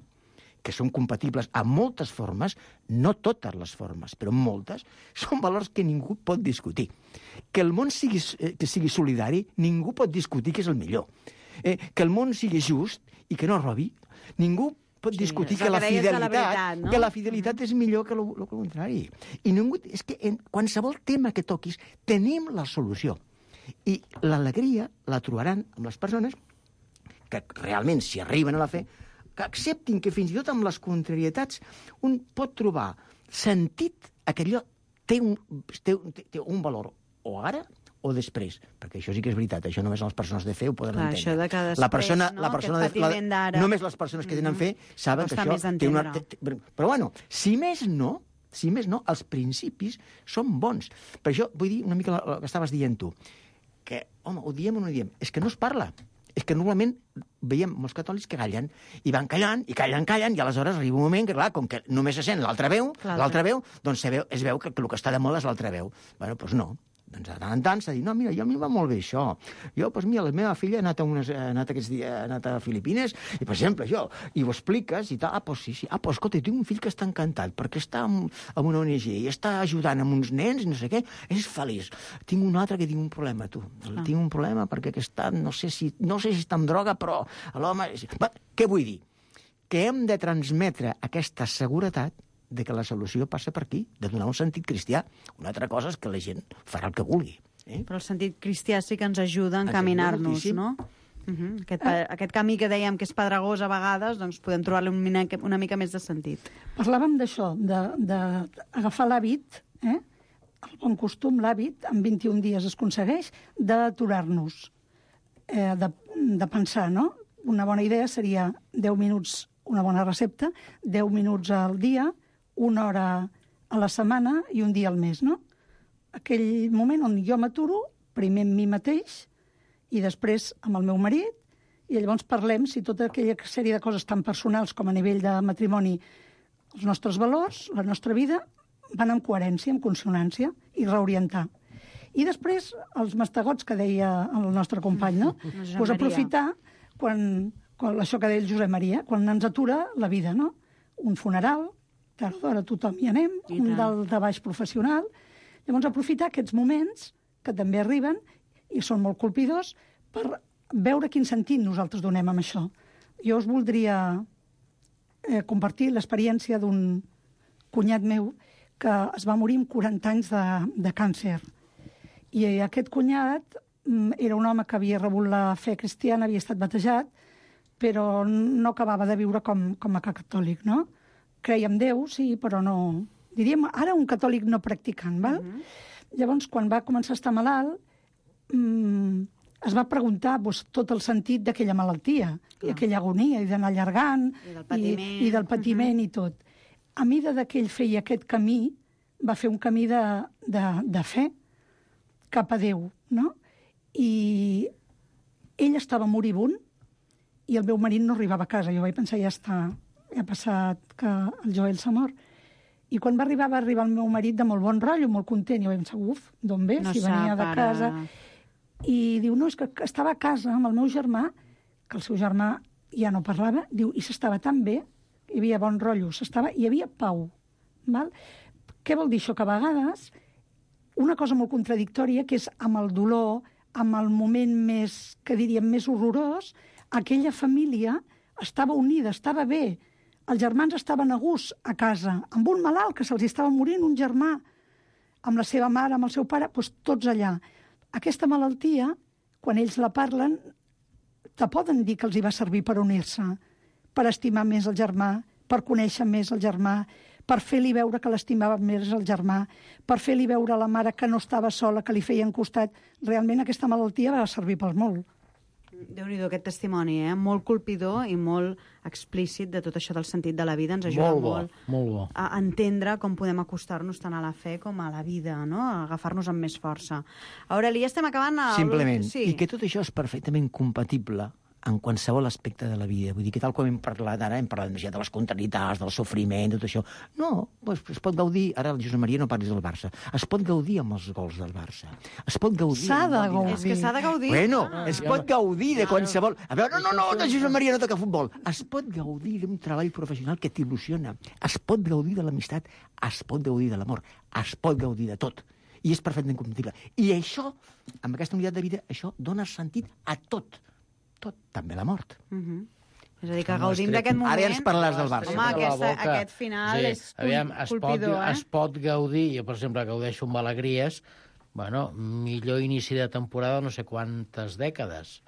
que són compatibles amb moltes formes, no totes les formes, però moltes, són valors que ningú pot discutir. Que el món sigui, que sigui solidari, ningú pot discutir que és el millor. Eh, que el món sigui just i que no robi, ningú pot sí, discutir que la, fidelitat, la veritat, no? que la fidelitat és millor que el contrari. I ningú, és que en qualsevol tema que toquis tenim la solució. I l'alegria la trobaran amb les persones que realment, si arriben a la fe, que acceptin que fins i tot amb les contrarietats un pot trobar sentit a que allò té un, té, té un valor o ara o després, perquè això sí que és veritat, això només les persones de fe ho poden Clar, entendre. Això de que després, la persona, no? la persona de, la, només les persones que tenen fe saben Costa que això té una... Té, però bueno, si més no, si més no, els principis són bons. Per això vull dir una mica el que estaves dient tu, que, home, ho diem o no ho diem? És que no es parla. És que normalment veiem molts catòlics que callen, i van callant, i callen, callen, i aleshores arriba un moment que, clar, com que només se sent l'altra veu, l'altra veu, doncs se veu, es veu que, que el que està de moda és l'altra veu. Bueno, doncs no. Doncs de tant en tant s'ha dit, no, mira, jo a mi va molt bé això. Jo, doncs mira, la meva filla ha anat a, unes, ha anat aquests dies, ha anat a Filipines, i per exemple, jo, i ho expliques, i tal, ah, doncs sí, sí, ah, doncs escolta, tinc un fill que està encantat, perquè està en, en una O N G, i està ajudant amb uns nens, i no sé què, és feliç. Tinc un altre que tinc un problema, tu. Ah. Tinc un problema perquè aquesta, no sé si, no sé si està amb droga, però l'home... Què vull dir? Que hem de transmetre aquesta seguretat de que la solució passa per aquí, de donar un sentit cristià. Una altra cosa és que la gent farà el que vulgui. Eh? Però el sentit cristià sí que ens ajuda a encaminar-nos, no? Uh -huh. aquest, ah. aquest camí que dèiem que és pedregós a vegades, doncs podem trobar-li una, una mica més de sentit. Parlàvem d'això, d'agafar l'hàbit, eh? el bon costum, l'hàbit, en vint-i-un dies es aconsegueix, d'aturar-nos, eh, de, de pensar, no? Una bona idea seria deu minuts, una bona recepta, deu minuts al dia, una hora a la setmana i un dia al mes, no? Aquell moment on jo m'aturo, primer amb mi mateix i després amb el meu marit, i llavors parlem si tota aquella sèrie de coses tan personals com a nivell de matrimoni, els nostres valors, la nostra vida, van en coherència, en consonància, i reorientar. I després, els mastegots que deia el nostre company, no? Pues aprofitar quan, quan, això que deia el Josep Maria, quan ens atura la vida, no? Un funeral, tard o d'hora tothom hi anem, I un dalt de baix professional. Llavors, aprofitar aquests moments que també arriben i són molt colpidors per veure quin sentit nosaltres donem amb això. Jo us voldria eh, compartir l'experiència d'un cunyat meu que es va morir amb quaranta anys de, de càncer. I aquest cunyat era un home que havia rebut la fe cristiana, havia estat batejat, però no acabava de viure com, com a catòlic, no? Creia en Déu, sí, però no... Diríem, ara un catòlic no practicant, val? Uh-huh. Llavors, quan va començar a estar malalt, mmm, es va preguntar doncs, tot el sentit d'aquella malaltia, Clar. i aquella agonia, i d'anar allargant, i del patiment, i, i, del patiment uh-huh. i tot. A mesura que ell feia aquest camí, va fer un camí de, de, de fe cap a Déu, no? I ell estava moribund i el meu marit no arribava a casa. Jo vaig pensar, ja està, ja ha passat que el Joel s'ha mort. I quan va arribar, va arribar el meu marit de molt bon rotllo, molt content. I jo vaig pensar, uf, d'on ve? No si venia de para... casa. I diu, no, és que estava a casa amb el meu germà, que el seu germà ja no parlava, diu, i s'estava tan bé hi havia bon rotllo, s'estava, hi havia pau. Val? Què vol dir això? Que a vegades una cosa molt contradictòria, que és amb el dolor, amb el moment més, que diríem, més horrorós, aquella família estava unida, estava bé. Els germans estaven a gust a casa, amb un malalt que se'ls estava morint, un germà, amb la seva mare, amb el seu pare, doncs tots allà. Aquesta malaltia, quan ells la parlen, te poden dir que els hi va servir per unir-se, per estimar més el germà, per conèixer més el germà, per fer-li veure que l'estimava més el germà, per fer-li veure a la mare que no estava sola, que li feien costat. Realment aquesta malaltia va servir per molt. Déu-n'hi-do aquest testimoni, eh? Molt colpidor i molt explícit de tot això del sentit de la vida. Ens ajuda Molt bo, molt, molt bo. a entendre com podem acostar-nos tant a la fe com a la vida, no? A agafar-nos amb més força. Aureli, ja estem acabant... El... Simplement. Sí. I que tot això és perfectament compatible en qualsevol aspecte de la vida. Vull dir que tal com hem parlat ara, hem parlat més ja de les contrarietats, del sofriment, tot això. No, doncs es pot gaudir... Ara el Josep Maria no parlis del Barça. Es pot gaudir amb els gols del Barça. Es pot gaudir... S'ha de gaudir. És que s'ha de gaudir. Bueno, es pot gaudir de qualsevol... A veure, no, no, no, el Josep Maria no toca futbol. Es pot gaudir d'un treball professional que t'il·lusiona. Es pot gaudir de l'amistat. Es pot gaudir de l'amor. Es pot gaudir de tot. I és perfectament compatible. I això, amb aquesta unitat de vida, això dona sentit a tot. Tot, també la mort. Uh -huh. És a dir, que gaudim d'aquest moment... Ara ja ens parlaràs del Barça. Home, aquesta, aquest final sí, és aviam, es colpidor, pot, eh? Es pot gaudir, jo, per exemple, gaudeixo amb alegries, bueno, millor inici de temporada no sé quantes dècades.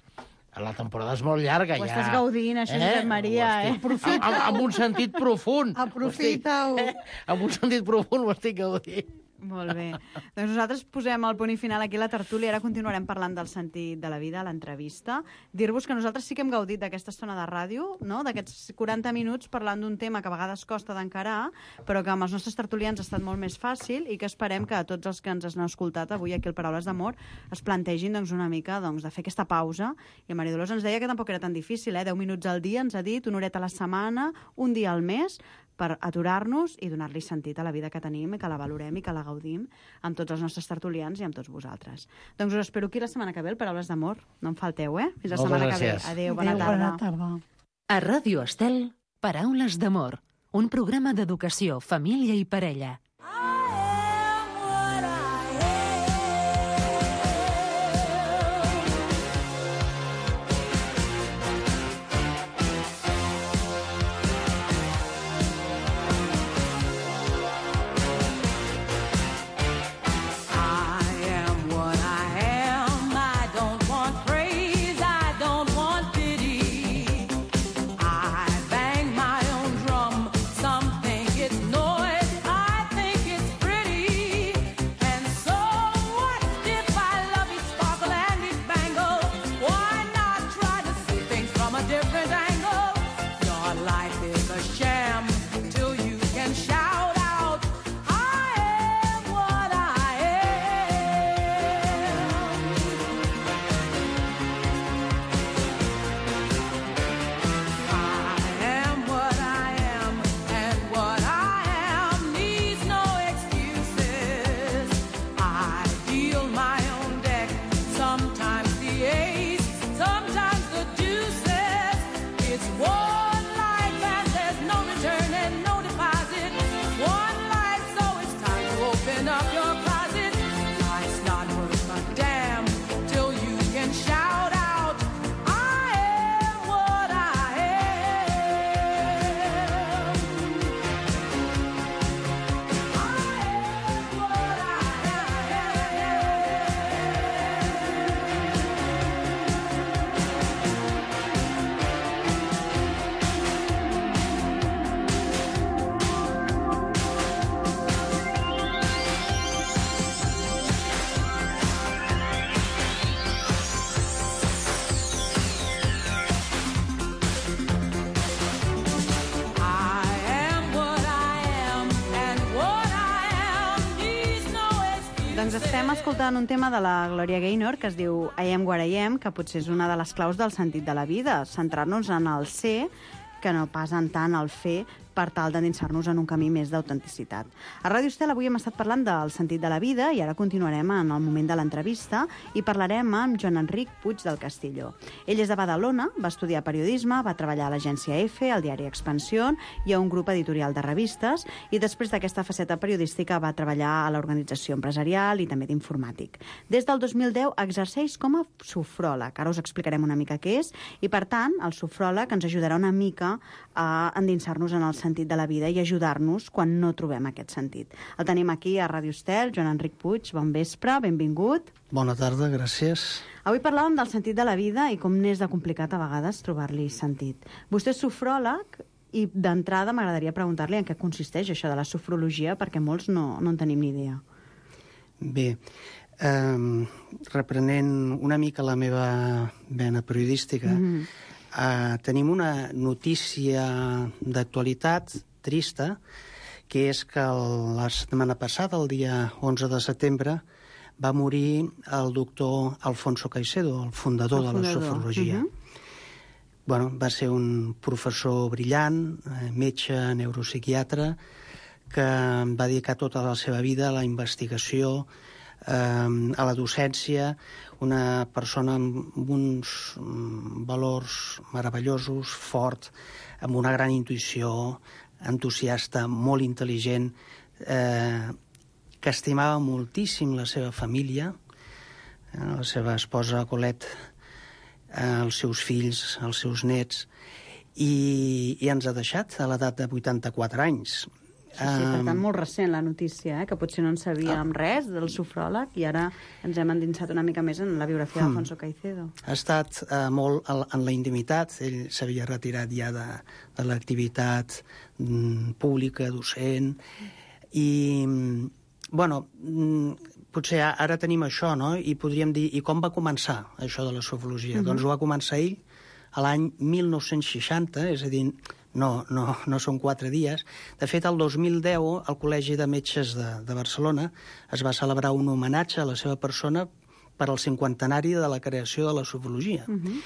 La temporada és molt llarga, Ho ja. estàs gaudint, això, eh? Josep Maria, eh? Aprofita. Amb, amb un sentit profund. Aprofita-ho. Eh? Amb un sentit profund ho estic gaudint. Molt bé. Doncs nosaltres posem el punt i final aquí a la tertúlia. Ara continuarem parlant del sentit de la vida, a l'entrevista. Dir-vos que nosaltres sí que hem gaudit d'aquesta estona de ràdio, no? D'aquests quaranta minuts parlant d'un tema que a vegades costa d'encarar, però que amb els nostres tertulians ha estat molt més fàcil i que esperem que a tots els que ens han escoltat avui aquí al Paraules d'Amor es plantegin doncs, una mica doncs, de fer aquesta pausa. I la Maria Dolors ens deia que tampoc era tan difícil, eh? deu minuts al dia, ens ha dit, una horeta a la setmana, un dia al mes, per aturar-nos i donar-li sentit a la vida que tenim, i que la valorem i que la gaudim amb tots els nostres tertulians i amb tots vosaltres. Doncs us espero aquí la setmana que ve, el Paraules d'Amor. No em falteu, eh? Fins la Moltes setmana gràcies. que ve. Adéu, bona Adéu, tarda. bona tarda. A Ràdio Estel, Paraules d'Amor, un programa d'educació, família i parella. Doncs estem escoltant un tema de la Gloria Gaynor que es diu I am what I am, que potser és una de les claus del sentit de la vida, centrar-nos en el ser, que no pas en tant el fer per tal d'endinsar-nos en un camí més d'autenticitat. A Ràdio Estel avui hem estat parlant del sentit de la vida i ara continuarem en el moment de l'entrevista i parlarem amb Joan Enric Puig del Castillo. Ell és de Badalona, va estudiar periodisme, va treballar a l'agència EFE, al diari Expansión i a un grup editorial de revistes i després d'aquesta faceta periodística va treballar a l'organització empresarial i també d'informàtic. Des del dos mil deu exerceix com a sofròleg. Ara us explicarem una mica què és i, per tant, el sofròleg ens ajudarà una mica a endinsar-nos en el sentit de la vida i ajudar-nos quan no trobem aquest sentit. El tenim aquí a Ràdio Estel, Joan Enric Puig, bon vespre, benvingut. Bona tarda, gràcies. Avui parlàvem del sentit de la vida i com n'és de complicat a vegades trobar-li sentit. Vostè és sofròleg i d'entrada m'agradaria preguntar-li en què consisteix això de la sofrologia perquè molts no, no en tenim ni idea. Bé, eh, reprenent una mica la meva vena periodística, mm-hmm. Uh, tenim una notícia d'actualitat trista, que és que el, la setmana passada, el dia onze de setembre, va morir el doctor Alfonso Caicedo, el fundador, el fundador. de la sofrologia. Uh-huh. Bueno, va ser un professor brillant, metge, neuropsiquiatre, que va dedicar tota la seva vida a la investigació, eh, a la docència, una persona amb uns valors meravellosos, fort, amb una gran intuïció, entusiasta, molt intel·ligent, eh, que estimava moltíssim la seva família, eh, la seva esposa Colette, eh, els seus fills, els seus nets, i, i ens ha deixat a l'edat de vuitanta-quatre anys. Sí, sí, per tant, molt recent la notícia, eh? Que potser no en sabíem ah. res del sofròleg i ara ens hem endinsat una mica més en la biografia hmm. d'Alfonso Caicedo. Ha estat eh, molt en la intimitat, ell s'havia retirat ja de, de l'activitat mm, pública, docent, i, bueno, mm, potser ara tenim això, no?, i podríem dir, i com va començar això de la sofrologia? Uh-huh. Doncs ho va començar ell a l'any mil nou-cents seixanta, és a dir, No, no, no són quatre dies. De fet, el dos mil deu, al Col·legi de Metges de, de Barcelona es va celebrar un homenatge a la seva persona per al cinquantenari de la creació de la sofrologia. Uh-huh.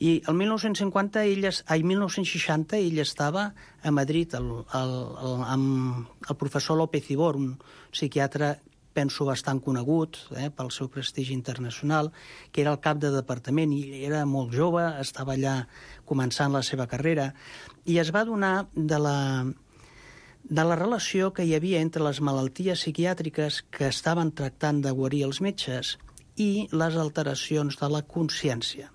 I el mil nou-cents cinquanta, ell, ai, mil nou-cents seixanta, ell estava a Madrid el, el, el, amb el professor López Ibor, un psiquiatre penso bastant conegut eh, pel seu prestigi internacional, que era el cap de departament i era molt jove, estava allà començant la seva carrera, i es va adonar de la, de la relació que hi havia entre les malalties psiquiàtriques que estaven tractant de guarir els metges i les alteracions de la consciència.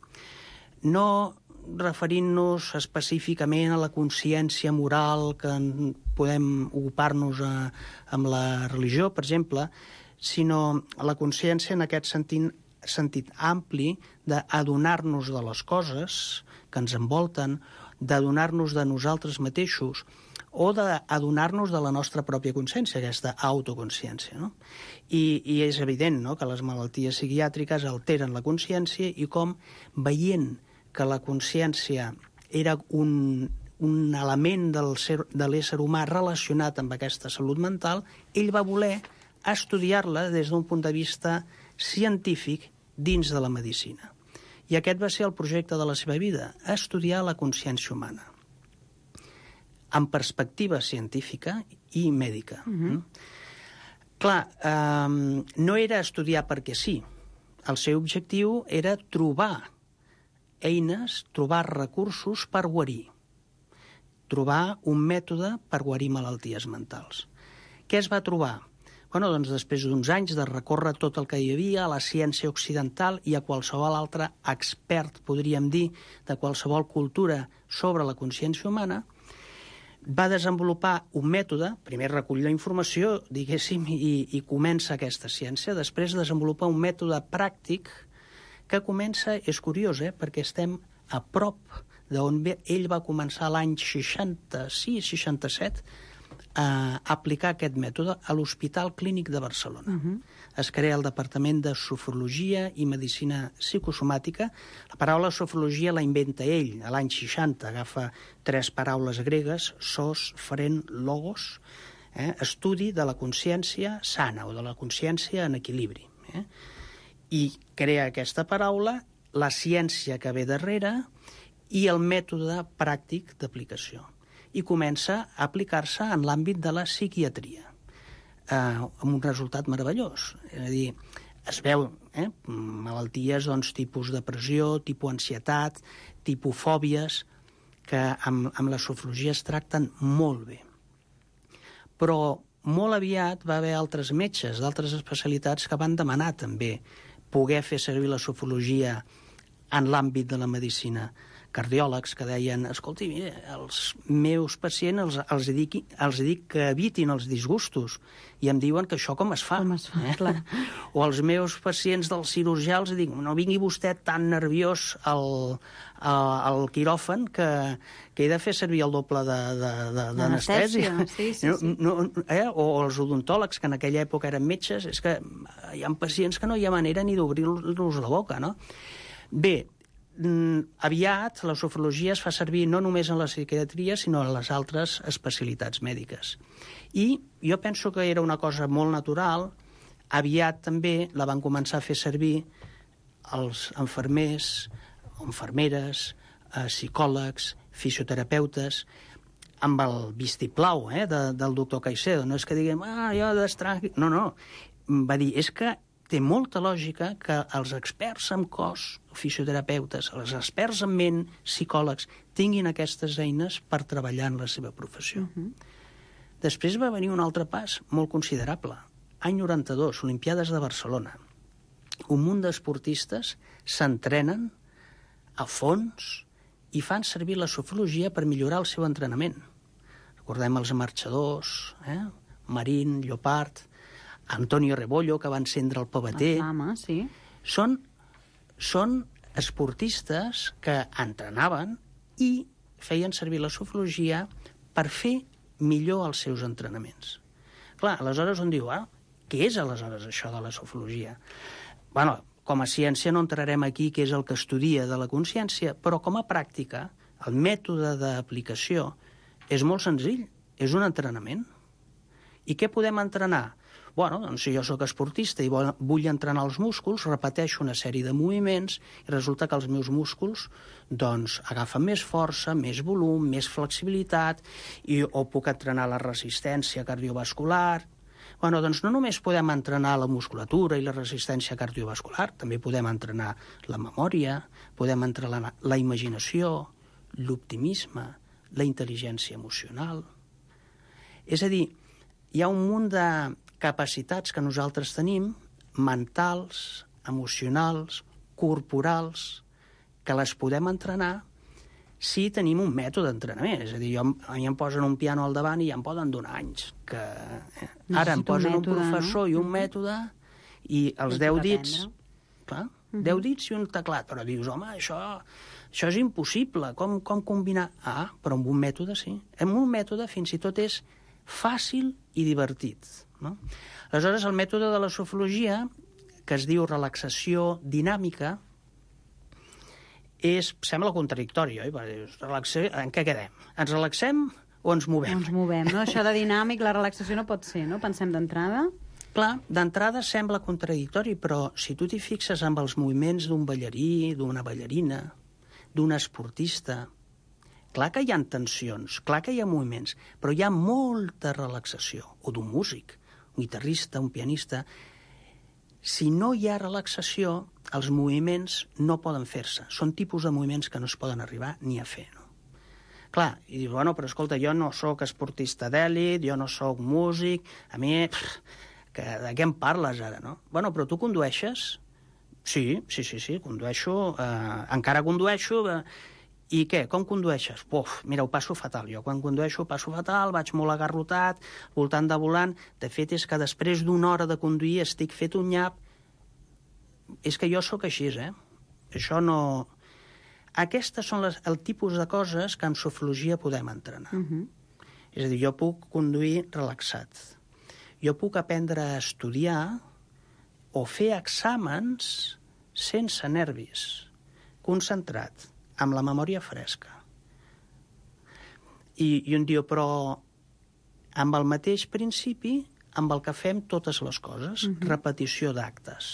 No referint-nos específicament a la consciència moral que podem ocupar-nos a, amb la religió, per exemple, sinó a la consciència en aquest sentit, sentit ampli d'adonar-nos de les coses que ens envolten, d'adonar-nos de nosaltres mateixos o d'adonar-nos de la nostra pròpia consciència, aquesta autoconsciència. No? I, I és evident, no?, que les malalties psiquiàtriques alteren la consciència i com veient que la consciència era un, un element del ser, de l'ésser humà relacionat amb aquesta salut mental, ell va voler estudiar-la des d'un punt de vista científic dins de la medicina. I aquest va ser el projecte de la seva vida, estudiar la consciència humana, amb perspectiva científica i mèdica. Uh-huh. Clar, eh, no era estudiar perquè sí. El seu objectiu era trobar eines, trobar recursos per guarir, trobar un mètode per guarir malalties mentals. Què es va trobar? Bueno, doncs després d'uns anys de recórrer tot el que hi havia a la ciència occidental i a qualsevol altre expert, podríem dir, de qualsevol cultura sobre la consciència humana, va desenvolupar un mètode, primer recull la informació, diguéssim, i, i comença aquesta ciència, després desenvolupar un mètode pràctic que comença, és curiós, eh, perquè estem a prop d'on ell va començar l'any seixanta-sis seixanta-set a aplicar aquest mètode a l'Hospital Clínic de Barcelona. Uh-huh. Es crea el Departament de Sofrologia i Medicina Psicosomàtica. La paraula sofrologia la inventa ell a l'any seixanta, agafa tres paraules gregues, sos, fren, logos, eh, estudi de la consciència sana o de la consciència en equilibri. Eh? I crea aquesta paraula, la ciència que ve darrere i el mètode pràctic d'aplicació. i comença a aplicar-se en l'àmbit de la psiquiatria, eh, amb un resultat meravellós. És a dir, es veu eh, malalties doncs, tipus depressió, tipus ansietat, tipus fòbies, que amb, amb la sofrologia es tracten molt bé. Però molt aviat va haver altres metges d'altres especialitats que van demanar també poder fer servir la sofrologia en l'àmbit de la medicina. Cardiòlegs que deien, escolti, mira, els meus pacients els, els, dic, els dic que evitin els disgustos i em diuen que això com es fa. Com es fa, eh? clar. O els meus pacients del cirurgià els dic, no vingui vostè tan nerviós al, al quiròfan que, que he de fer servir el doble d'anestèsia. Sí, sí, sí. No, no, eh? O els odontòlegs, que en aquella època eren metges, és que hi ha pacients que no hi ha manera ni d'obrir-los la boca, no? Bé, aviat la sofrologia es fa servir no només en la psiquiatria, sinó en les altres especialitats mèdiques. I jo penso que era una cosa molt natural. Aviat també la van començar a fer servir els infermers, infermeres, eh, psicòlegs, fisioterapeutes, amb el vistiplau eh, de, del doctor Caicedo. No és que diguem, ah, jo d'estrany... No, no. Va dir, és que té molta lògica que els experts en cos, fisioterapeutes, els experts en ment, psicòlegs, tinguin aquestes eines per treballar en la seva professió. Uh-huh. Després va venir un altre pas molt considerable. Any noranta-dos, Olimpiades de Barcelona. Un munt d'esportistes s'entrenen a fons i fan servir la sofrologia per millorar el seu entrenament. Recordem els marxadors, eh? Marín, Llopart, Antonio Rebollo, que va encendre el pavater. La flama, sí. Són, són esportistes que entrenaven i feien servir la sofrologia per fer millor els seus entrenaments. Clar, aleshores on diu, ah, què és aleshores això de la sofrologia? Bueno, com a ciència no entrarem aquí què és el que estudia de la consciència, però com a pràctica, el mètode d'aplicació és molt senzill, és un entrenament. I què podem entrenar? Bueno, doncs si jo sóc esportista i vull entrenar els músculs, repeteixo una sèrie de moviments i resulta que els meus músculs doncs, agafen més força, més volum, més flexibilitat, i, o puc entrenar la resistència cardiovascular. Bueno, doncs no només podem entrenar la musculatura i la resistència cardiovascular, també podem entrenar la memòria, podem entrenar la, la imaginació, l'optimisme, la intel·ligència emocional. És a dir, hi ha un munt de capacitats que nosaltres tenim, mentals, emocionals, corporals, que les podem entrenar si tenim un mètode d'entrenament. És a dir, jo, a mi em posen un piano al davant i ja em poden donar anys. Que, eh, ara em posen un, mètode, un professor no? i un mètode i els deu dits... Clar, uh-huh. deu dits i un teclat. Però dius, home, això, això és impossible. Com, com combinar? Ah, però amb un mètode sí. Amb un mètode fins i tot és fàcil i divertit. No? Aleshores, el mètode de la sofrologia, que es diu relaxació dinàmica, és, sembla contradictori, oi? Relaxació, en què quedem? Ens relaxem o ens movem? Ens movem, no? Això de dinàmic, la relaxació no pot ser, no? Pensem d'entrada. Clar, d'entrada sembla contradictori, però si tu t'hi fixes amb els moviments d'un ballarí, d'una ballarina, d'un esportista, clar que hi ha tensions, clar que hi ha moviments, però hi ha molta relaxació. O d'un músic, un guitarrista, un pianista. Si no hi ha relaxació, els moviments no poden fer-se. Són tipus de moviments que no es poden arribar ni a fer, no? Clar, i dius, bueno, però escolta, jo no sóc esportista d'èlit, jo no sóc músic, a mi, pff, que, de què em parles ara, no? Bueno, però tu condueixes? Sí, sí, sí, sí, condueixo, eh, encara condueixo... Eh, I què? Com condueixes? Puf, mira, ho passo fatal. Jo quan condueixo ho passo fatal, vaig molt agarrotat, voltant de volant. De fet, és que després d'una hora de conduir estic fet un nyap. És que jo sóc així, eh? Això no... Aquestes són les, el tipus de coses que amb sofrologia podem entrenar. Uh-huh. És a dir, jo puc conduir relaxat. Jo puc aprendre a estudiar o fer exàmens sense nervis, concentrat, amb la memòria fresca. I, i un diu, però amb el mateix principi amb el que fem totes les coses, uh-huh. repetició d'actes.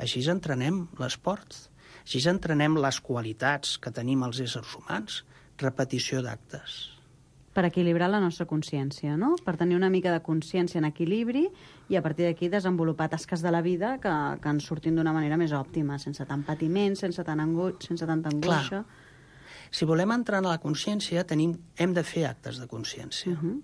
Així entrenem l'esport, així entrenem les qualitats que tenim els éssers humans, repetició d'actes. Per equilibrar la nostra consciència, no? Per tenir una mica de consciència en equilibri i a partir d'aquí desenvolupar tasques de la vida que, que ens surtin d'una manera més òptima, sense tant patiment, sense, tant angu... sense tanta angoixa. Clar. Si volem entrar en la consciència, tenim, hem de fer actes de consciència. Uh -huh.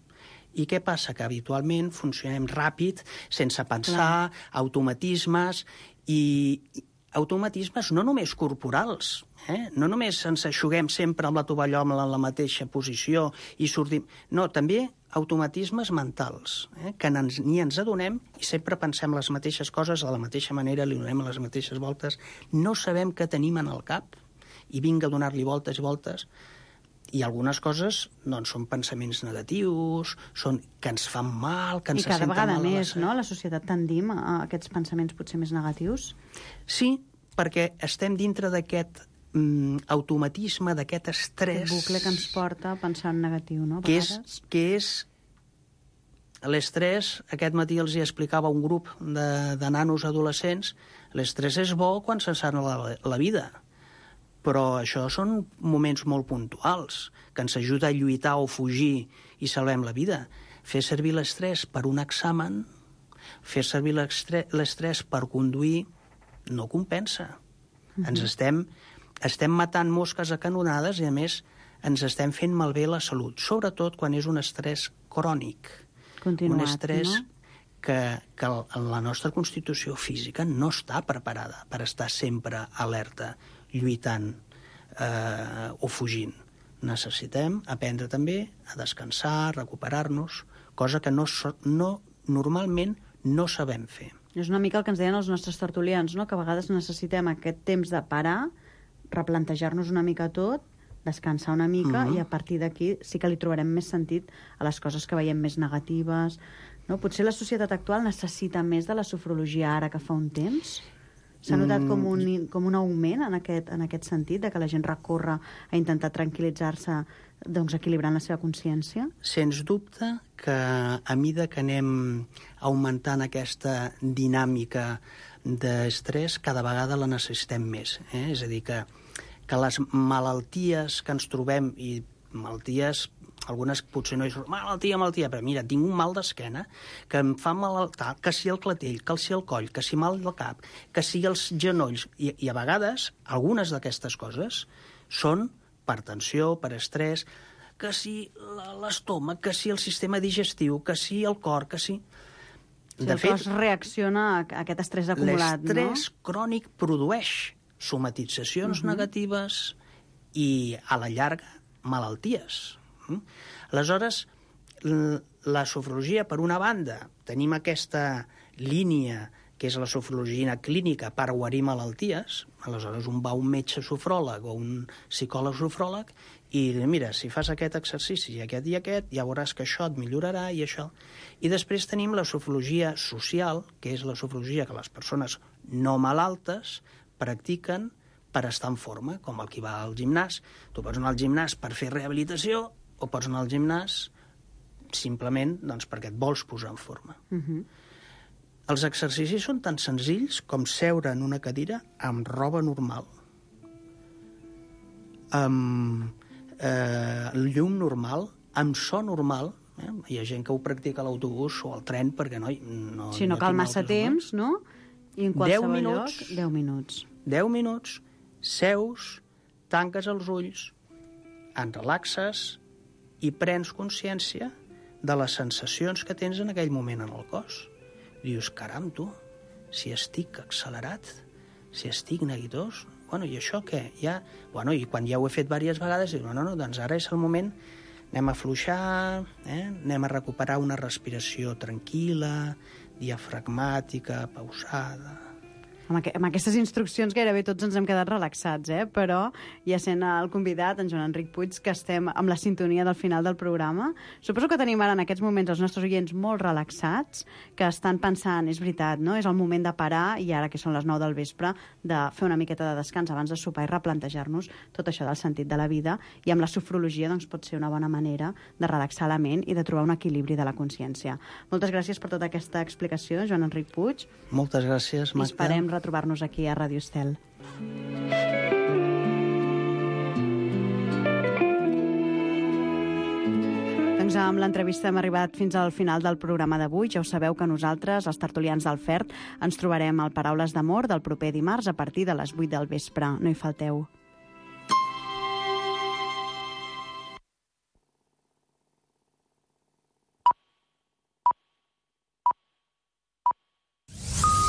I què passa? Que habitualment funcionem ràpid, sense pensar, Clar. automatismes, i automatismes no només corporals, eh? No només ens aixuguem sempre amb la tovallola en la mateixa posició i sortim... No, també automatismes mentals, eh? Que ens, ni ens adonem i sempre pensem les mateixes coses de la mateixa manera, li donem les mateixes voltes, no sabem què tenim en el cap i vinga a donar-li voltes i voltes. I algunes coses doncs, són pensaments negatius, són que ens fan mal, que ens I cada senten vegada mal més, la... no? La societat tendim a aquests pensaments potser més negatius? Sí, perquè estem dintre d'aquest mm, automatisme, d'aquest estrès... Aquest bucle que ens porta a pensar en negatiu, no? A que vegades. és, que és l'estrès, aquest matí els hi explicava un grup de, de nanos adolescents, l'estrès és bo quan se'n sap la, la vida, però això són moments molt puntuals, que ens ajuda a lluitar o fugir i salvem la vida. Fer servir l'estrès per un examen, fer servir l'estrès per conduir, no compensa. Uh-huh. Ens estem, estem matant mosques a canonades i, a més, ens estem fent malbé la salut, sobretot quan és un estrès crònic. Continuat, un estrès no? que, que la nostra constitució física no està preparada per estar sempre alerta, lluitant eh, o fugint. Necessitem aprendre també a descansar, a recuperar-nos, cosa que no, no, normalment no sabem fer. És una mica el que ens deien els nostres tertulians, no? Que a vegades necessitem aquest temps de parar, replantejar-nos una mica tot, descansar una mica, mm-hmm. i a partir d'aquí sí que li trobarem més sentit a les coses que veiem més negatives. No? Potser la societat actual necessita més de la sofrologia ara que fa un temps? S'ha notat com un, com un augment en aquest, en aquest sentit, de que la gent recorre a intentar tranquil·litzar-se, doncs, equilibrant la seva consciència? Sens dubte que a mesura que anem augmentant aquesta dinàmica d'estrès, cada vegada la necessitem més. Eh? És a dir, que, que les malalties que ens trobem, i malalties, algunes potser no és malaltia, malaltia, però mira, tinc un mal d'esquena, que em fa mal tal, que si el clatell, que si el coll, que si mal del cap, que si els genolls, i, i a vegades algunes d'aquestes coses són per tensió, per estrès, que si l'estómac, que si el sistema digestiu, que si el cor, que si... Si el cos reacciona a aquest estrès acumulat, no? L'estrès crònic produeix somatitzacions uh-huh. negatives i, a la llarga, malalties. Mm? Aleshores, la sofrologia, per una banda, tenim aquesta línia que és la sofrologia clínica per guarir malalties. Aleshores, un va a un metge sofròleg o un psicòleg sofròleg i mira, si fas aquest exercici i aquest i aquest, ja veuràs que això et millorarà i això. I després tenim la sofrologia social, que és la sofrologia que les persones no malaltes practiquen per estar en forma, com el que va al gimnàs. Tu pots anar al gimnàs per fer rehabilitació o pots anar al gimnàs simplement doncs, perquè et vols posar en forma. Uh-huh. Els exercicis són tan senzills com seure en una cadira amb roba normal, amb eh, llum normal, amb so normal. Eh? Hi ha gent que ho practica a l'autobús o al tren perquè no... no sí, no, no cal massa temps, no? I en qualsevol lloc, deu minuts. Deu minuts, seus, tanques els ulls, en relaxes i prens consciència de les sensacions que tens en aquell moment en el cos. Dius, caram, tu, si estic accelerat, si estic neguitós, bueno, i això què? Ja... Bueno, i quan ja ho he fet diverses vegades, dic, no, no, doncs ara és el moment, anem a afluixar, eh? Anem a recuperar una respiració tranquil·la, diafragmàtica, pausada... Amb, aqu amb aquestes instruccions gairebé tots ens hem quedat relaxats, eh? Però ja sent el convidat, en Joan Enric Puig, que estem amb la sintonia del final del programa. Suposo que tenim ara en aquests moments els nostres oients molt relaxats, que estan pensant, és veritat, no? És el moment de parar, i ara que són les nou del vespre, de fer una miqueta de descans abans de sopar i replantejar-nos tot això del sentit de la vida, i amb la sofrologia doncs, pot ser una bona manera de relaxar la ment i de trobar un equilibri de la consciència. Moltes gràcies per tota aquesta explicació, Joan Enric Puig. Moltes gràcies, Magda. I esperem retrobar-nos aquí a Ràdio Estel. doncs amb l'entrevista hem arribat fins al final del programa d'avui. Ja ho sabeu que nosaltres, els tertulians del Fert, ens trobarem al Paraules d'Amor del proper dimarts a partir de les vuit del vespre. No hi falteu.